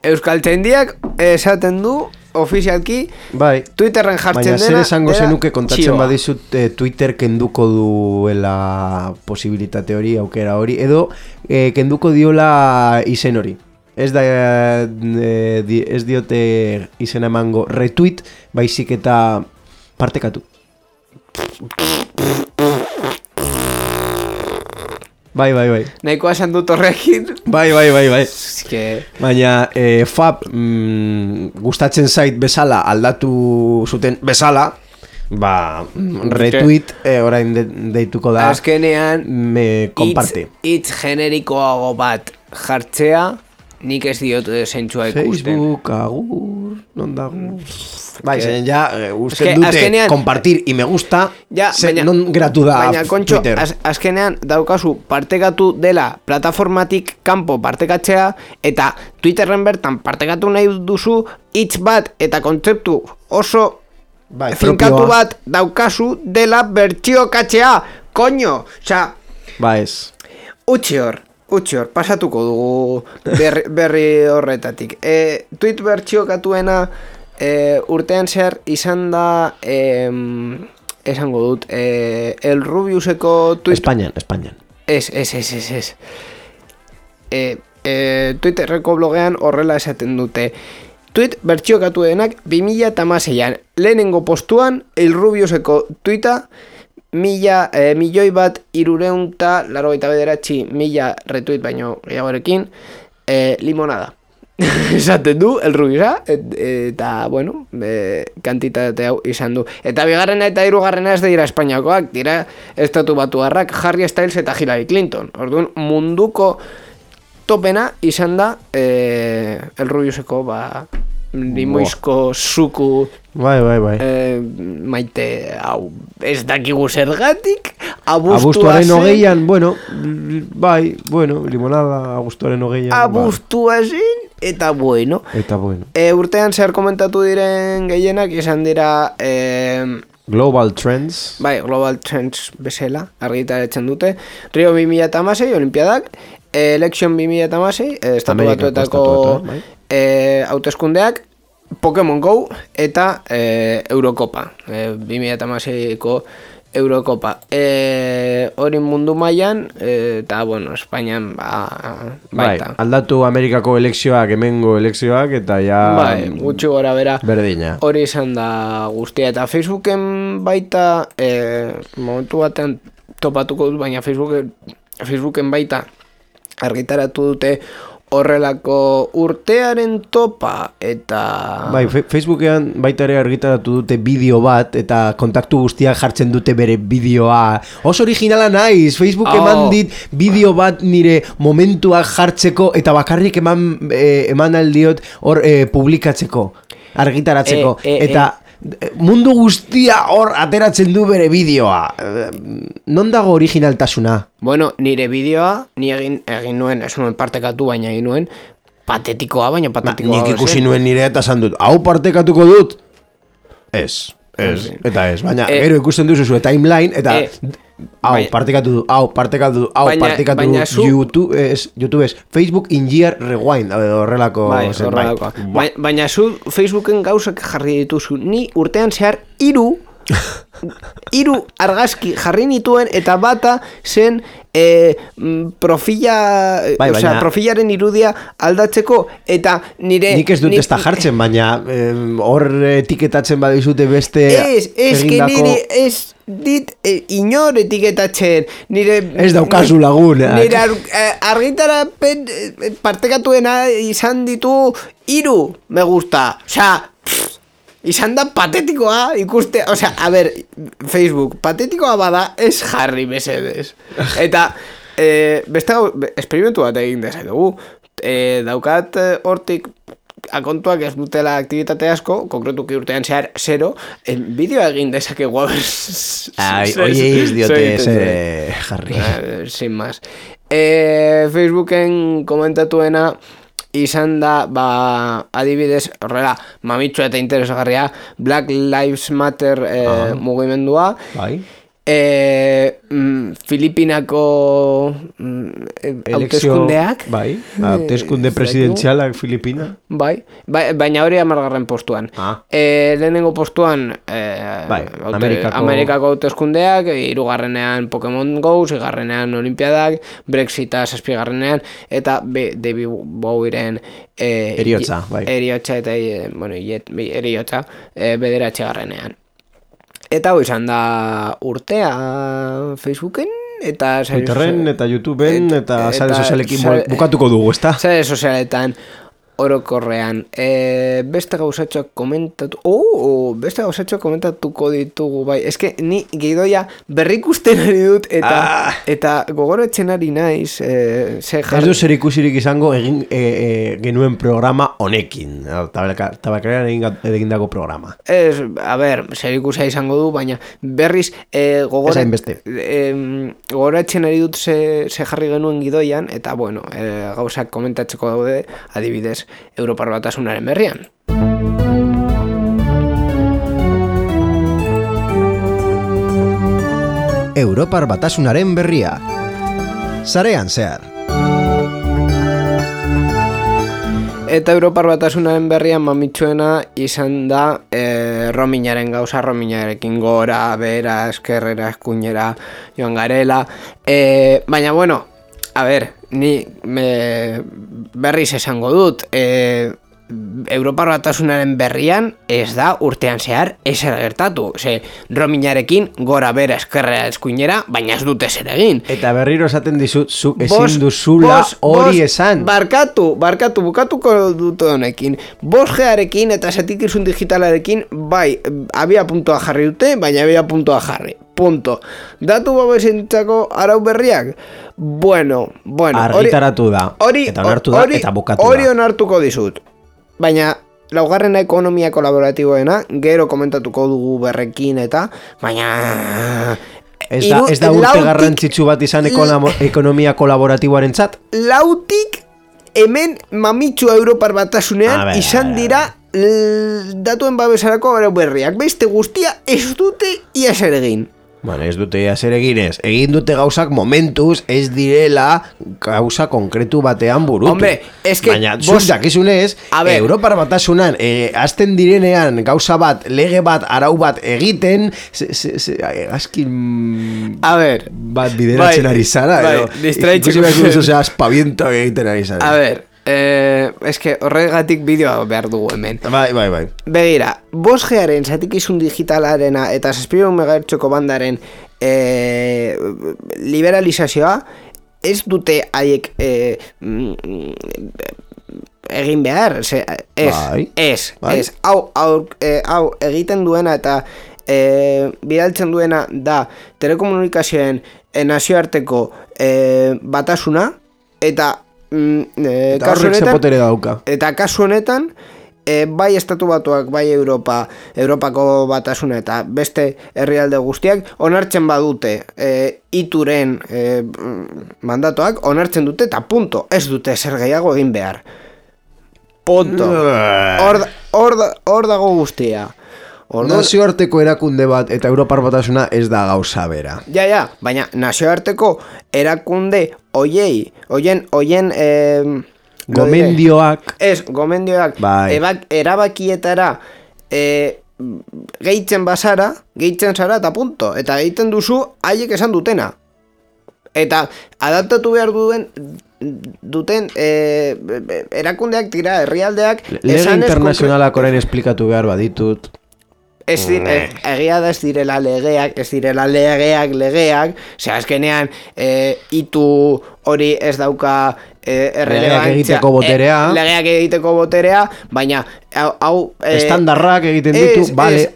Euskaltzaindiak esaten du, ofizialki, bai. Twitterren jartzen dena... Baina zer esango zenuke kontatzen badizut Twitter kenduko duela posibilitate hori, aukera hori, edo kenduko diola izen hori. Ez diote izena emango retweet, baizik eta partekatu. Bai. Nahikoa esan dut horrekin. Bai. Baina Fab gustatzen zait bezala aldatu zuten bezala, retweet orain deituko da. Azkenean komparte. Hitz generikoago bat jartzea, nik ez diot zentzua ikusten. Facebook, agur, non dago. Bai, ja, usten dute azkenean, compartir y me gusta, non geratu da baina, kontxo, Twitter. Azkenean daukazu partekatu dela plataformatik kanpo partekatzea, eta Twitterren bertan partekatu nahi duzu hitz bat eta kontzeptu oso finkatu bat daukazu dela bertsiokatzea, koño, oza... Ba ez. Utsi utxior, pasatuko dugu berri horretatik. Tweet bertxiokatuena urtean zehar izan da, esango dut, el Rubiuseko tweet... Espainian. Ez. Twitterreko blogean horrela esaten dute. Tweet bertxiokatuenak 2016an. Lehenengo postuan, el Rubiuseko tweeta, 1.389.000 retweet baino gehiagorekin, limonada. Esaten du, el Rubiusa, eta, bueno, kantitate hau izan du. Eta bigarrena eta hirugarrena ez dira Espainiakoak, dira estatu batuarrak, Harry Styles eta Hillary Clinton. Orduan, munduko topena izan da el Rubiuseko, limoizko zuku Bai. maite hau ez dakigu zergatik abuztuaren hogeian, limonada abuztuaren hogeian abuztua zen eta bueno urtean zer komentatu diren gehienak izan dira Global Trends Global Trends bezala argitaratzen dute Rio 2016 Olimpiadak Election 2016 estatu batuetako hauteskundeak Pokemon Go eta Eurocopa 2016ko Eurocopa hori mundu mailan eta bueno, Espainian baita aldatu Amerikako elekzioak hemengo elekzioak eta ja gutxi gora bera berdina hori izan da guztia eta Facebooken baita momentu batean topatuko dut baina Facebooken baita argitaratu dute horrelako urtearen topa eta... Facebookean baita ere argitaratu dute bideo bat eta kontaktu guztiak jartzen dute bere bideoa. Oso originala naiz, Facebook eman dit bideo bat nire momentuak jartzeko eta bakarrik eman aldiot hor publikatzeko, argitaratzeko. Eta mundu guztia hor ateratzen du bere bideoa. Non dago originaltasuna? Bueno, nire bideoa, ni egin nuen, ez nuen partekatu, baina egin nuen, patetikoa. Nik ikusi nuen nire eta esan dut, hau partekatuko dut? Ez, baina gero ikusten duzu zure timeline, eta hau partekatu YouTube ez, Facebook in year rewind, horrelako zenbait. Baina zu Facebooken gauzak jarri dituzu, ni urtean zehar hiru argazki jarri nituen eta bata zen profilaren irudia aldatzeko eta nire... Nik ez dut ez da jartzen, baina hor etiketatzen badizute beste egindako... Ez dit inor etiketatzen nire... Ez daukazu lagun. Nire argitarapen partekatuena izan ditu 3 me gusta. Izan da patetikoa ikuste, a ber, Facebook, patetikoa bada ez jarri mesedez. Eta, beste esperimentu bat egin dezakegu. Daukat hortik akontuak ez dutela aktivitate asko, konkretuki urtean zehar 0, bideo egin dezakegu. Oie ez diote jarri. Sin más. Facebooken komentatuena izan da, adibidez, horrela, mamitxo eta interesgarria, Black Lives Matter mugimendua. Filipinako hauteskundeak. Hauteskunde presidenzialak Filipina. Baina hori 10. postuan. Lehenengo postuan Amerikako hauteskundeak, 3. Pokemon Go, 6. Olimpiadak, Brexita 7. eta David Bowieren eriotza eta eriotza 9. Eta hoi izan da urtea Facebooken eta Twitterren eta YouTubeen eta sare sozialekin bukatuko dugu, ezta? Sare sozialetan orokorrean beste gauzatxoak komentatuko ditugu bai. Eske ni gidoia berrikusten ari dut eta gogoratzen ari naiz ez du zer ikusirik izango genuen programa honekin tabakarean egindako programa a ber, zer ikusia izango du baina berriz gogoratzen ari dut ze jarri genuen gidoian eta bueno, gauzak komentatzeko daude adibidez Europar Batasunaren berrian. Europar Batasunaren berria. Sarean zehar. Eta Europar Batasunaren berrian mamitsuena izan da roamingaren gauza, roamingarekin gora, bera, eskerrera, eskuinera joan garela. Baina, bueno, a ver, ni berriz esango dut, Europar Batasunaren berrian ez da urtean zehar ezer gertatu. Roamingarekin gora bera eskerrera eskuinera, baina ez dute zer egin. Eta berriro esaten dizut, zuk ezin duzula hori esan. Bukatuko dut honekin. 5G-arekin eta satikizun digitalarekin, bai, abia puntua jarri dute, baina abia puntua jarri. Punto. Datu babesentzako arau berriak? Bueno. Argitaratu da. Eta onartu da, eta bukatu da. Hori onartuko dizut. Baina, laugarrena ekonomia kolaboratiboena, gero komentatuko dugu berrekin eta, baina... Ez da urte garrantzitsu bat izan ekonomia kolaboratiboaren txat? Lautik, hemen mamitsu Europar Batasunean izan dira datuen babesarako berriak. Beste guztia ez dute ia zer egin. Bueno, ez dute zer eginez. Egin dute gauzak momentuz ez direla gauza konkretu batean burutu. Hombre, eske... Baina, zuk dakizunez, Europar Batasunan azten direnean gauza bat, lege bat, arau bat egiten, azkin... A ver... Bat bideratzen ari zara. Distraitzen... Ikusi behar duzu, espaviento egiten ari zara. A ver... eske horregatik bideoa behar dugu hemen. Bai. Begira, 5G-aren zatikizun digitalarena eta 700 MHz bandaren liberalizazioa ez dute haiek egin behar. Hau egiten duena eta bidaltzen duena da telekomunikazioen nazioarteko batasuna eta kasu honetan bai Estatu Batuak, bai Europako batasuna eta beste herrialde guztiak onartzen badute ituren mandatoak onartzen dute eta punto, ez dute zer gehiago egin behar. Punto. Hor dago guztia. Nazioarteko erakunde bat eta Europar Batasuna ez da gauza bera. Ja, baina nazioarteko erakunde oien gomendioak erabakietara gehitzen zara eta punto. Eta egiten duzu haiek esan dutena. Eta adaptatu behar duten erakundeak dira herrialdeak. Lege internazionalak orain esplikatu behar baditut. Egia da ez direla legeak, ze azkenean itu hori ez dauka legeak egiteko boterea, baina hau estandarrak egiten ditu, vale.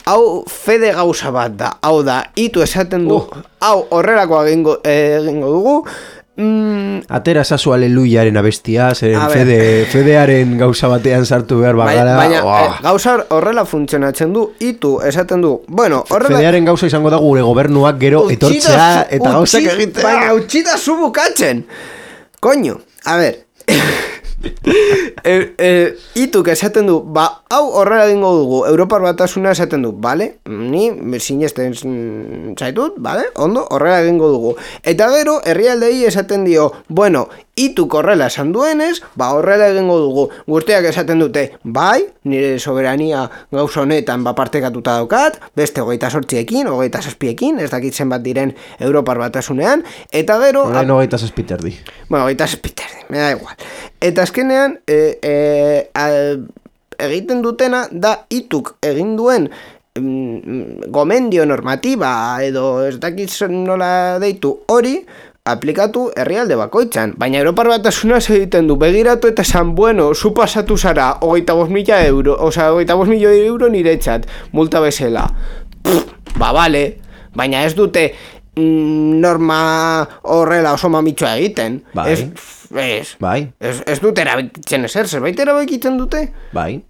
Hau fede gauza bat da, hau da, itu esaten du, hau horrelako egingo dugu. Atera zazu aleluyaren abestia, fedearen gauza batean sartu behar bagara. Baina gauza horrela funtzionatzen du, itu esaten du. Bueno, fedearen gauza izango da gure gobernuak gero etortzea eta gauzak egitea. Baina utxita zu bukatzen. Koño, a ver. Ituk esaten du, hau horrela egingo dugu, Europar Batasuna esaten du, bale? Ni sinesten zaitut, bale? Ondo, horrela egingo dugu. Eta gero, herrialdei esaten dio, bueno, ituk horrela esan duenez, horrela egingo dugu. Guztiak esaten dute, bai, nire soberania gauza honetan partekatuta daukat, beste 28ekin, 27ekin, ez dakitzen bat diren Europar Batasunean, eta gero... Horain 27 terdi. Bueno, 27 terdi, me da igual. Eta azkenean, egiten dutena da ituk egin duen gomendio normatiba edo ez dakitzen nola deitu hori, aplikatu herrialde bakoitzan. Baina Europar Batasuna egiten du, begiratu eta esan, bueno, zu pasatu zara 25.000 euro, osea, 25.000 euro niretzat, multa bezala. Bale, baina ez dute norma horrela oso mamitsua egiten. Ez dute erabitzen ezer, zerbait erabitzen dute? Bai.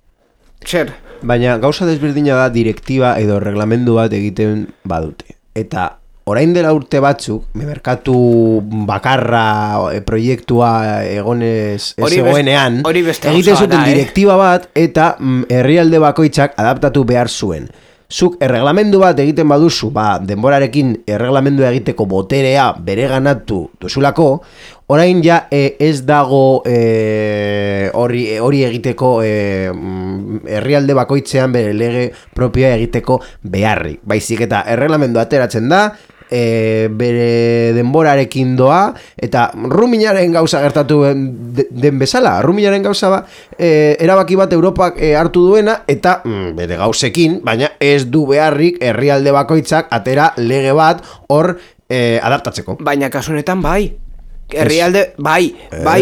Zer? Baina gauza desberdina da direktiba edo reglamendu bat egiten badute. Eta orain dela urte batzuk, merkatu bakarra proiektua egonez egoenean, egiten zuten direktiba bat eta herrialde bakoitzak adaptatu behar zuen. zuk erreglamendu bat egiten baduzu, denborarekin erreglamendu egiteko boterea bereganatu duzulako, orain ja ez dago hori egiteko herrialde bakoitzean bere lege propioa egiteko beharrik. Baizik eta erreglamendu ateratzen da, bere denborarekin doa, eta Ruminaren gauza gertatu den bezala. Ruminaren gauza erabaki bat Europak hartu duena, eta bere gauzekin, baina ez du beharrik herrialde bakoitzak atera lege bat hor adaptatzeko. Baina kasunetan bai. Bai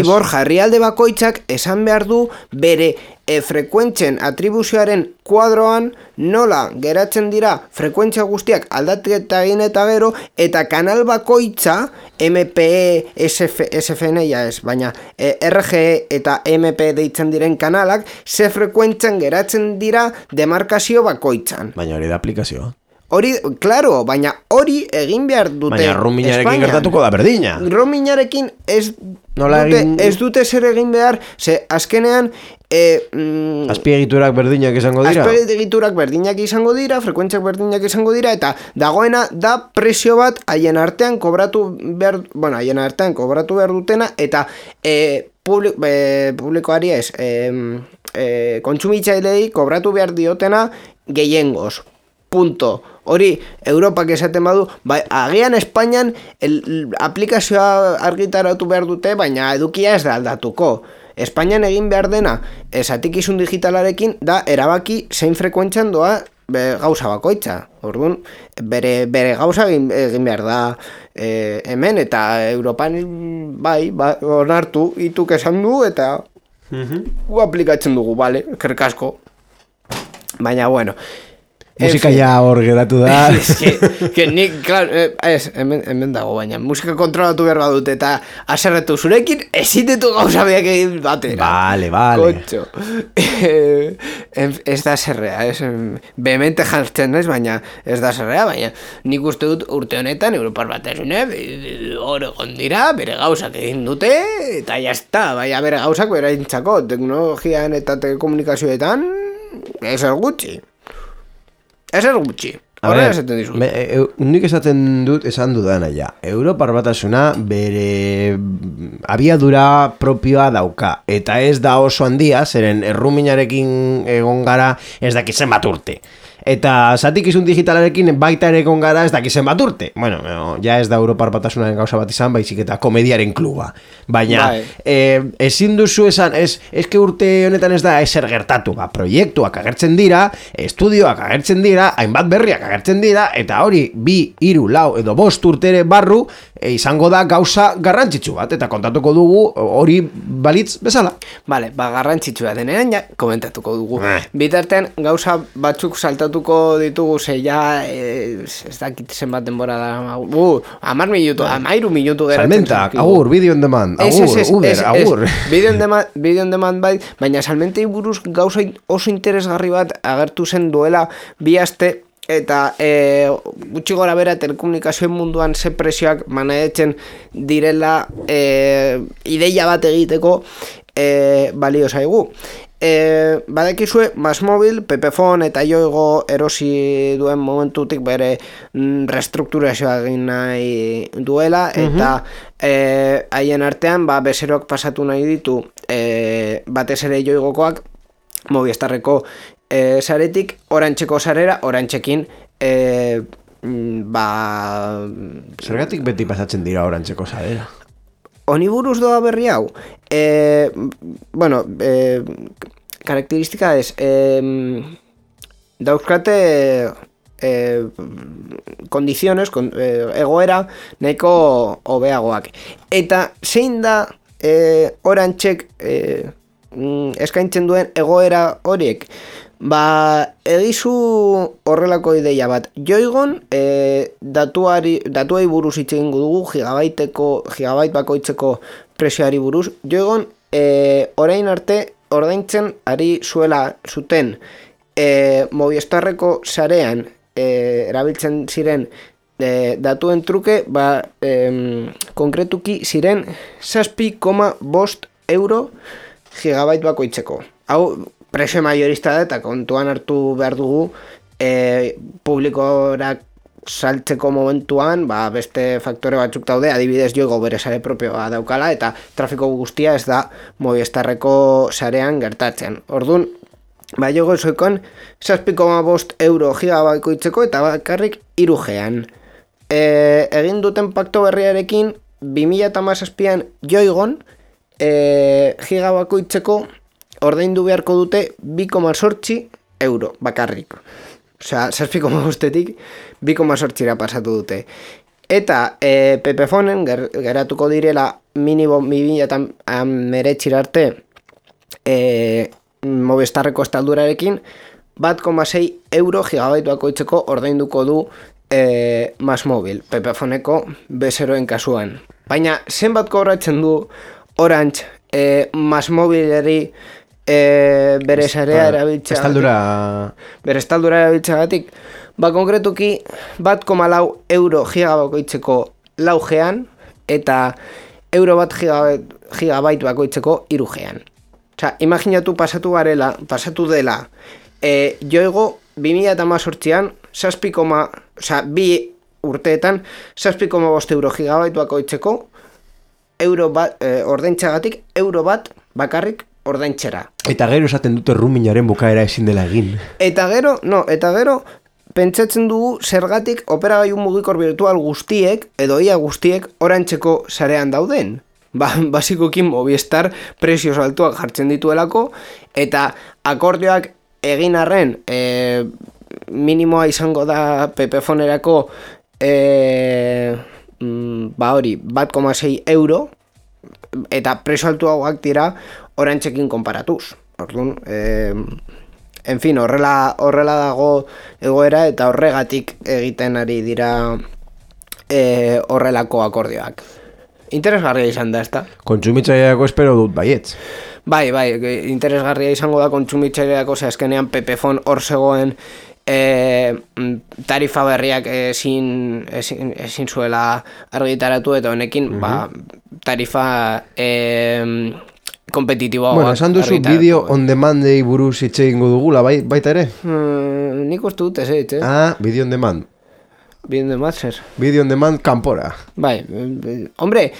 Borja, herrialde bakoitzak esan behar du bere frekuentzen atribuzioaren kuadroan nola geratzen dira frekuentzia guztiak aldaketa egin eta gero, eta kanal bakoitza MPE, SFN baina RGE eta MP deitzen diren kanalak ze frekuentzan geratzen dira demarkazio bakoitzan. Baina hori da aplikazioa. Hori, claro, baina hori egin behar dute Baina Ruminarekin gertatuko da berdina. Ruminarekin ez dute zer egin behar, ze azkenean azpiegiturak berdinak izango dira. Azpiegiturak berdinak izango dira, frekuentziak berdinak izango dira, eta dagoena da presio bat haien artean kobratu behar dutena, eta publikoari ez, kontsumitzailei kobratu behar diotena gehiengoz. Punto. Hori, Europak esaten badu, agian Espainian aplikazioa argitaratu behar dute, baina edukia ez da aldatuko. Espainian egin behar dena, zatikizun digitalarekin, da erabaki zein frekuentzian doa gauza bakoitza. Orduan, bere gauza egin behar da hemen, eta Europan onartu, ituk esan du, eta gu aplikatzen dugu, bale, kerkasko. Baina, bueno, musika ja hor geratu da. Que nik, claro, hemen dago, baina musika kontrolatu behar badut, eta aserretu zurekin ezitetu gauza beak egin batera. Vale. Kotxo. Ez da zerrea, behemente jartzen ez, baina ez da zerrea, baina nik uste dut urte honetan Europar Batasune hor egon dira, bere gauzak egin dute, eta jazta, baina bere gauzak bere intzako, teknologian eta telekomunikazioetan, ez gutxi. Ezer gutxi. Horrela esaten dizu. Nik esan dudana ja. Europar Batasuna bere abiadura propioa dauka. Eta ez da oso handia, zeren Erruminarekin egon gara ez dakizen bat urte. Eta zatikizun digitalarekin baita ere egon gara ez dakizen bat urte. Bueno, ja ez da Europar Batasunaren gauza bat izan, baizik eta komediaren kluba. Baina, ezin duzu esan, eske urte honetan ez da ezer gertatu. Proiektuak agertzen dira, estudioak agertzen dira, hainbat berriak agertzen dira, eta hori 2, 3, 4 edo 5 urtere barru izango da gauza garrantzitsu bat, eta kontatuko dugu hori balitz bezala. Vale, garrantzitsua denean ja komentatuko dugu. Bitartean gauza batzuk saltatuko ditugu, ze ja ez dakit zenbat denbora da 13 minutu geratzen. Salmentak, agur, video on demand, agur. Video on demand bai, baina salmentei buruz gauza oso interesgarri bat agertu zen duela 2 aste, eta gutxi gora bera telekomunikazioen munduan ze presioak manaetzen direla ideia bat egiteko balio zaigu. Badakizue Masmobil, Pepefon eta Yoigo erosi duen momentutik bere restrukturazioa egin nahi duela, eta haien artean bezeroak pasatu nahi ditu batez ere Yoigokoak Movistarreko saretik Orantxeko sarera, Orantxekin zergatik beti pasatzen dira Orantxeko sarera? Honi buruz doa berri hau? Karakteristika ez, dauzkate kondiziones, egoera nahiko hobeagoak. Eta zein da Orantxek eskaintzen duen egoera horiek? Egizu horrelako ideia bat. Yoigon datuai buruz hitz egingo dugu, gigabait bakoitzeko presioari buruz. Yoigon orain arte ordaintzen ari zuten Movistarreko sarean erabiltzen ziren datuen truke, konkretuki ziren 7,5 euro gigabait bakoitzeko. Hau presio maiorista da, eta kontuan hartu behar dugu publikorak saltzeko momentuan, beste faktore batzuk daude, adibidez Yoigo bere sare propioa daukala, eta trafiko guztia ez da Movistarreko sarean gertatzen. Orduan, Yoigo zoikon 7,5 euro gigabaikoitzeko eta bakarrik 3G-an. Egin duten pakto berriarekin, 2017an Yoigon gigabakoitzeko ordaindu beharko dute 2,8 euro bakarrik. Osea, 7,5-etik 2,8-ra pasatu dute. Eta Pepefonen geratuko direla minimo 2019 arte Movistarreko estaldurarekin 1,6 euro gigabaituako itzeko ordainduko du MásMóvil, Pepefoneko bezeroen kasuan. Baina, zenbat kobratzen du Orange MásMóvileri bere sarea erabiltzea bere estaldura erabiltzeagatik, konkretuki 1,4 euro gigabakoitzeko 4G-an eta euro 1 gigabait bakoitzeko 3G-an. Osea, imaginatu pasatu dela Yoigo 2018an 2 urteetan 7,5 euro gigabait bakoitzeko ordaintzagatik euro 1 bakarrik ordaintzera. Eta gero esaten dute roamingaren bukaera ezin dela egin. Eta gero pentsatzen dugu zergatik operagailu mugikor virtual guztiek edo ia guztiek Orantxeko sarean dauden. Basikoki Movistar prezios altuak jartzen dituelako eta akordioak egin arren minimoa izango da Pepefonerako 1,6 euro eta prezio altuagoak dira Orantxekin konparatuz. Orduan, en fin, horrela dago egoera eta horregatik egiten ari dira horrelako akordioak. Interesgarria izan da, ezta? Kontsumitzaileako espero dut baietz. Bai, interesgarria izango da kontsumitzaileako, azkenean Pepefon hor zegoen tarifa berriak ezin zuela argitaratu eta honekin tarifa kompetitiboa. Bueno, esan duzu bideo on demandei buruz hitz egingo dugula, baita ere? Nik uste dut ez eitz, Video on demand. Video on demand zer? Video on demand kanpora. Bai, hombre,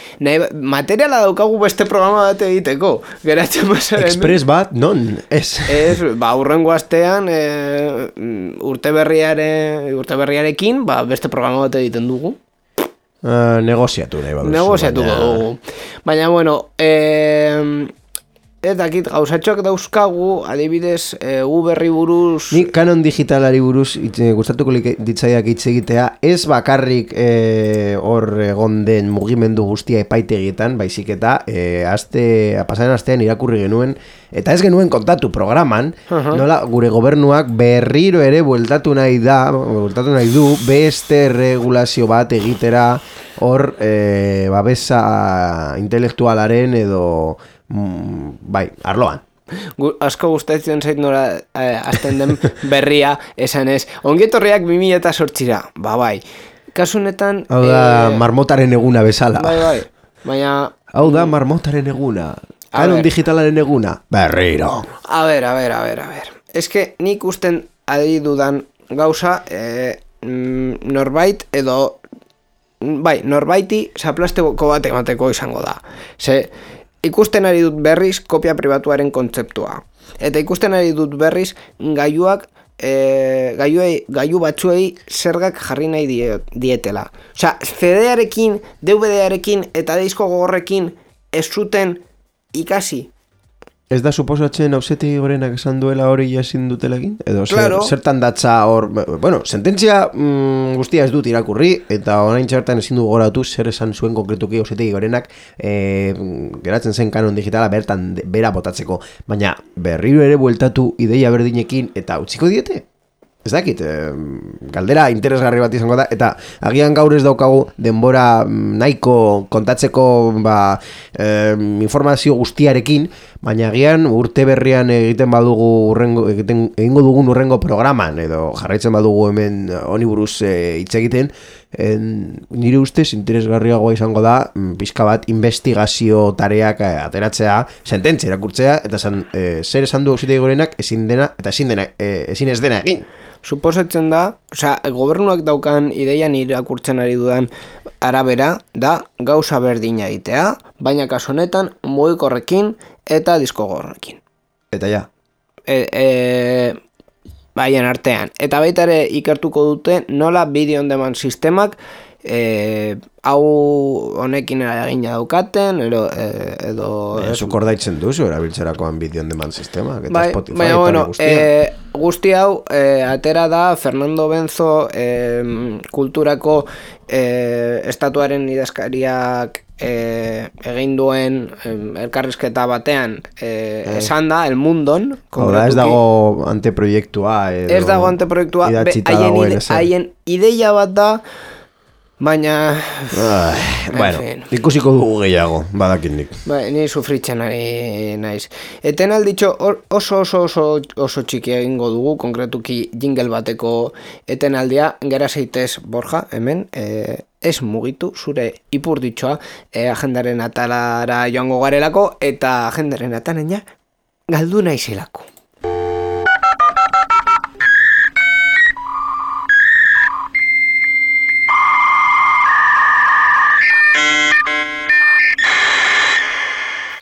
materiala daukagu beste programa bat egiteko. Geratzen basaren. Express bat, non? Ez. Ez, urrengo astean urte berriarekin beste programa bat egiten dugu. Negoziatu nahi baduzu. Negoziatuko dugu. Baina, bueno, ez dakit gauzatxoak dauzkagu, adibidez, berri buruz... Nik kanon digitalari buruz gustatuko ditzaiak hitz egitea, ez bakarrik hor egon den mugimendu guztia epaitegietan, baizik eta pasaren astean irakurri genuen, eta ez genuen kontatu programan, nola gure gobernuak berriro ere bueltatu nahi du beste regulazio bat egitera hor babesa intelektualaren edo arloan. Asko gustatzen zait nora azten den berria esan ez. Ongietorriak 2008ra. Bai. Kasunetan... Hau da marmotaren eguna bezala. Bai. Baina... Hau da marmotaren eguna. Kanon digitalaren eguna. Berriro. A ver. Ez que nik usten adi dudan gauza norbait edo... Bai, norbaiti zaplasteko bat emateko izango da. Ikusten ari dut berriz kopia pribatuaren kontzeptua. Eta ikusten ari dut berriz gailu batzuei zergak jarri nahi dietela. Osea, CD-arekin, DVD-arekin eta disko gogorrekin ez zuten ikasi. Ez da suposatzen Auzitegi Gorenak esan duela hori ezin dutela egin? Edo claro. Zertan datza hor... Bueno, sententzia guztia ez dut irakurri, eta orain txertan ezin du goratu zer esan zuen konkretuki Auzitegi Gorenak geratzen zen kanon digitala bertan bera botatzeko. Baina berriro ere bueltatu ideia berdinekin eta utziko diete? Ez dakit, galdera interesgarri bat izango da, eta agian gaur ez daukagu denbora nahiko kontatzeko informazio guztiarekin, baina agian urte berrian egingo dugun urrengo programan, edo jarraitzen badugu hemen honi buruz hitz egiten, nire ustez interesgarriagoa izango da pixka bat investigazio tareak ateratzea, sententzia irakurtzea eta zer esan du Auzitegi Gorenak ezin ez dena egin. Suposatzen da, gobernuak daukan ideian irakurtzen ari dudan arabera da gauza berdina egitea, baina kasu honetan mugikorrekin eta diskogorrekin. Eta ja. Baien artean. Eta baita ere ikertuko dute nola video on demand sistemak hau honekin eragina daukaten edo zuk ordaitzen duzu erabiltzerakoan video on demand sistemak eta Spotify baina, bueno, guztia. Guzti hau atera da Fernando Benzo kulturako estatuaren idazkariak egin duen elkarrizketa batean esan da, El Mundon. Ez dago anteproiektua ez dago anteproiektua, haien ideia bat da, baina bueno, ikusiko dugu gehiago, badakitnik. Ni sufritzen ari naiz. Eten alditxo oso txiki egingo dugu, konkretuki jingle bateko etenaldia, gera zeitez Borja, hemen, ez mugitu zure ipurditxoa agendaren atalara joango garelako, eta agendaren atalena galdu naizelako.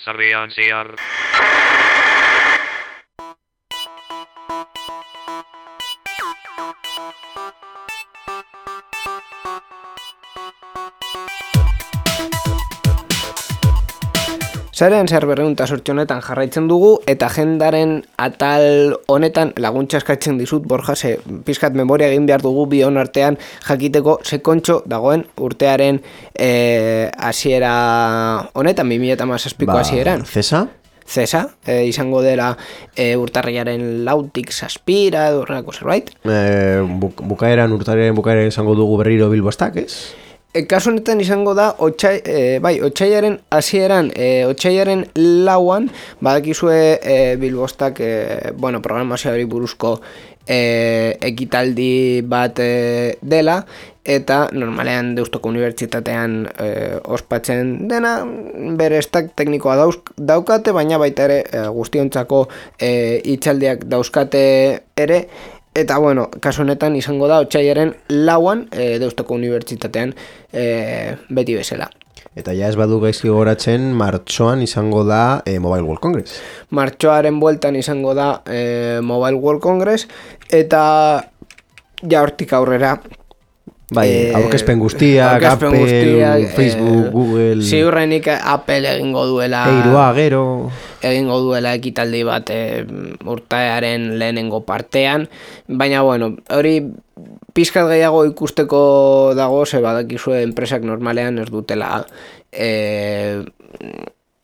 Sarean zehar. Sarean zehar 208 honetan jarraitzen dugu, eta agendaren atal honetan laguntza eskatzen dizut, Borja, pizkat memoria egin behar dugu bion artean jakiteko sekontxo dagoen urtearen hasiera honetan, 2017ko hasieran. Zesa, izango dela urtarrilaren 4tik 7 edo horrelako zerbait. Urtarrilaren bukaeran izango dugu berriro Bilbostak, ez? Kasu honetan izango da otsailaren hasieran, otsailaren 4an badakizue Bilbostak programazioari buruzko ekitaldi bat dela, eta normalean Deustoko Unibertsitatean ospatzen dena, bere stack teknikoa daukate, baina baita ere guztiontzako hitzaldiak dauzkate ere. Eta, kasu honetan izango da otsailaren 4an Deustoko Unibertsitatean beti bezala. Eta ja ez badu gaizki goratzen, martxoan izango da Mobile World Congress. Martxoaren bueltan izango da Mobile World Congress, eta ja hortik aurrera aurkezpen guztiak, Apple, Facebook, Google. Ziurrenik Apple egingo duela egingo duela ekitaldi bat urtearen lehenengo partean, baina hori pizkat gehiago ikusteko dago, ze badakizue enpresak normalean ez dutela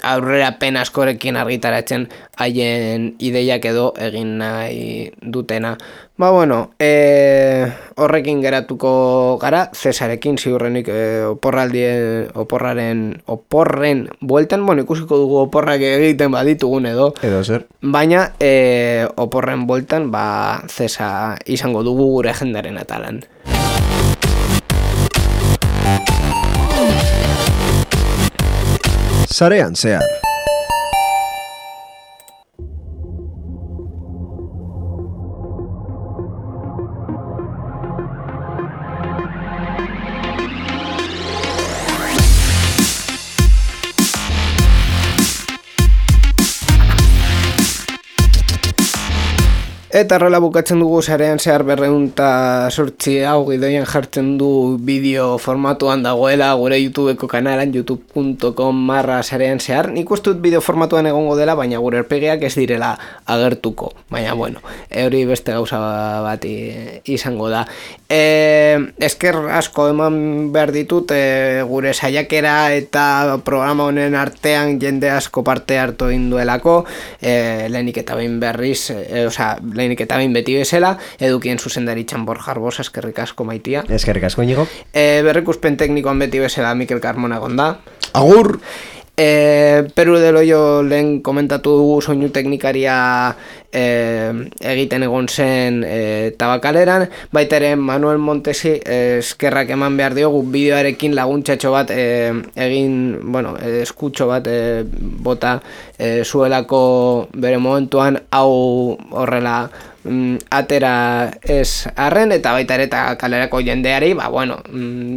aurrerapen askorekin argitaratzen haien ideiak edo egin nahi dutena. Horrekin geratuko gara, Zesarekin ziurrenik oporren bueltan, ikusiko dugu oporrak egiten baditugun edo zer. Baina oporren bueltan Zesa izango dugu gure agendaren atalan. Sarean zehar. Eta horrela bukatzen dugu Sarean zehar 208 hau gidoian jartzen du bideo formatuan dagoela gure YouTubeko kanalan youtube.com/sarean zehar. Nik uste dut bideo formatuan egongo dela, baina gure erpegeak ez direla agertuko. Baina hori beste gauza bat izango da. Esker asko eman behar ditut gure saiakera eta programa honen artean jende asko parte hartu egin duelako, lehenik eta behin berriz, lehenik eta behin beti bezala, edukien zuzendaritzan Borja Arbosa, eskerrik asko Maitia. Eskerrik asko Inigo. Berrikuspen teknikoan beti bezala Mikel Carmona gonda. Agur! Peru del Hoyo lehen komentatu dugu soinu teknikaria egiten egon zen Tabakaleran, baita ere Manuel Montesi eskerrak eman behar diogu bideoarekin laguntzatxo bat eskutxo bat bota zuelako bere momentuan hau horrela atera ez arren, eta baita ere eta kalerako jendeari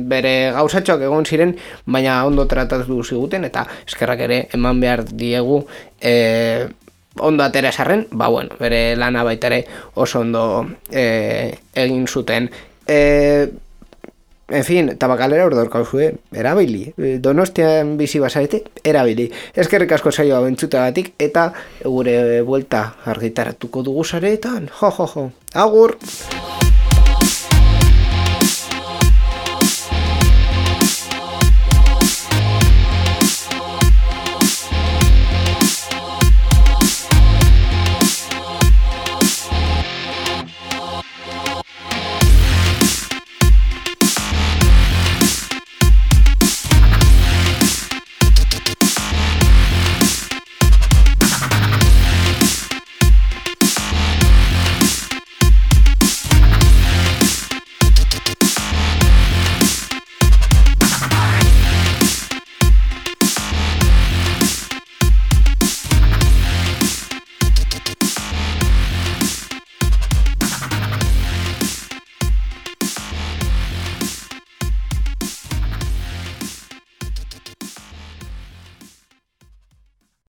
bere gauzatxoak egon ziren, baina ondo tratatu ziguten, eta eskerrak ere eman behar diegu ondo atera ez arren, bere lana baita ere oso ondo egin zuten. En fin, Tabakalera ordorkauzue, erabili. Donostian bizi bazarete, erabili. Eskerrik asko saioa bentzutagatik, eta gure buelta argitaratuko dugu sareetan. Jo. Agur!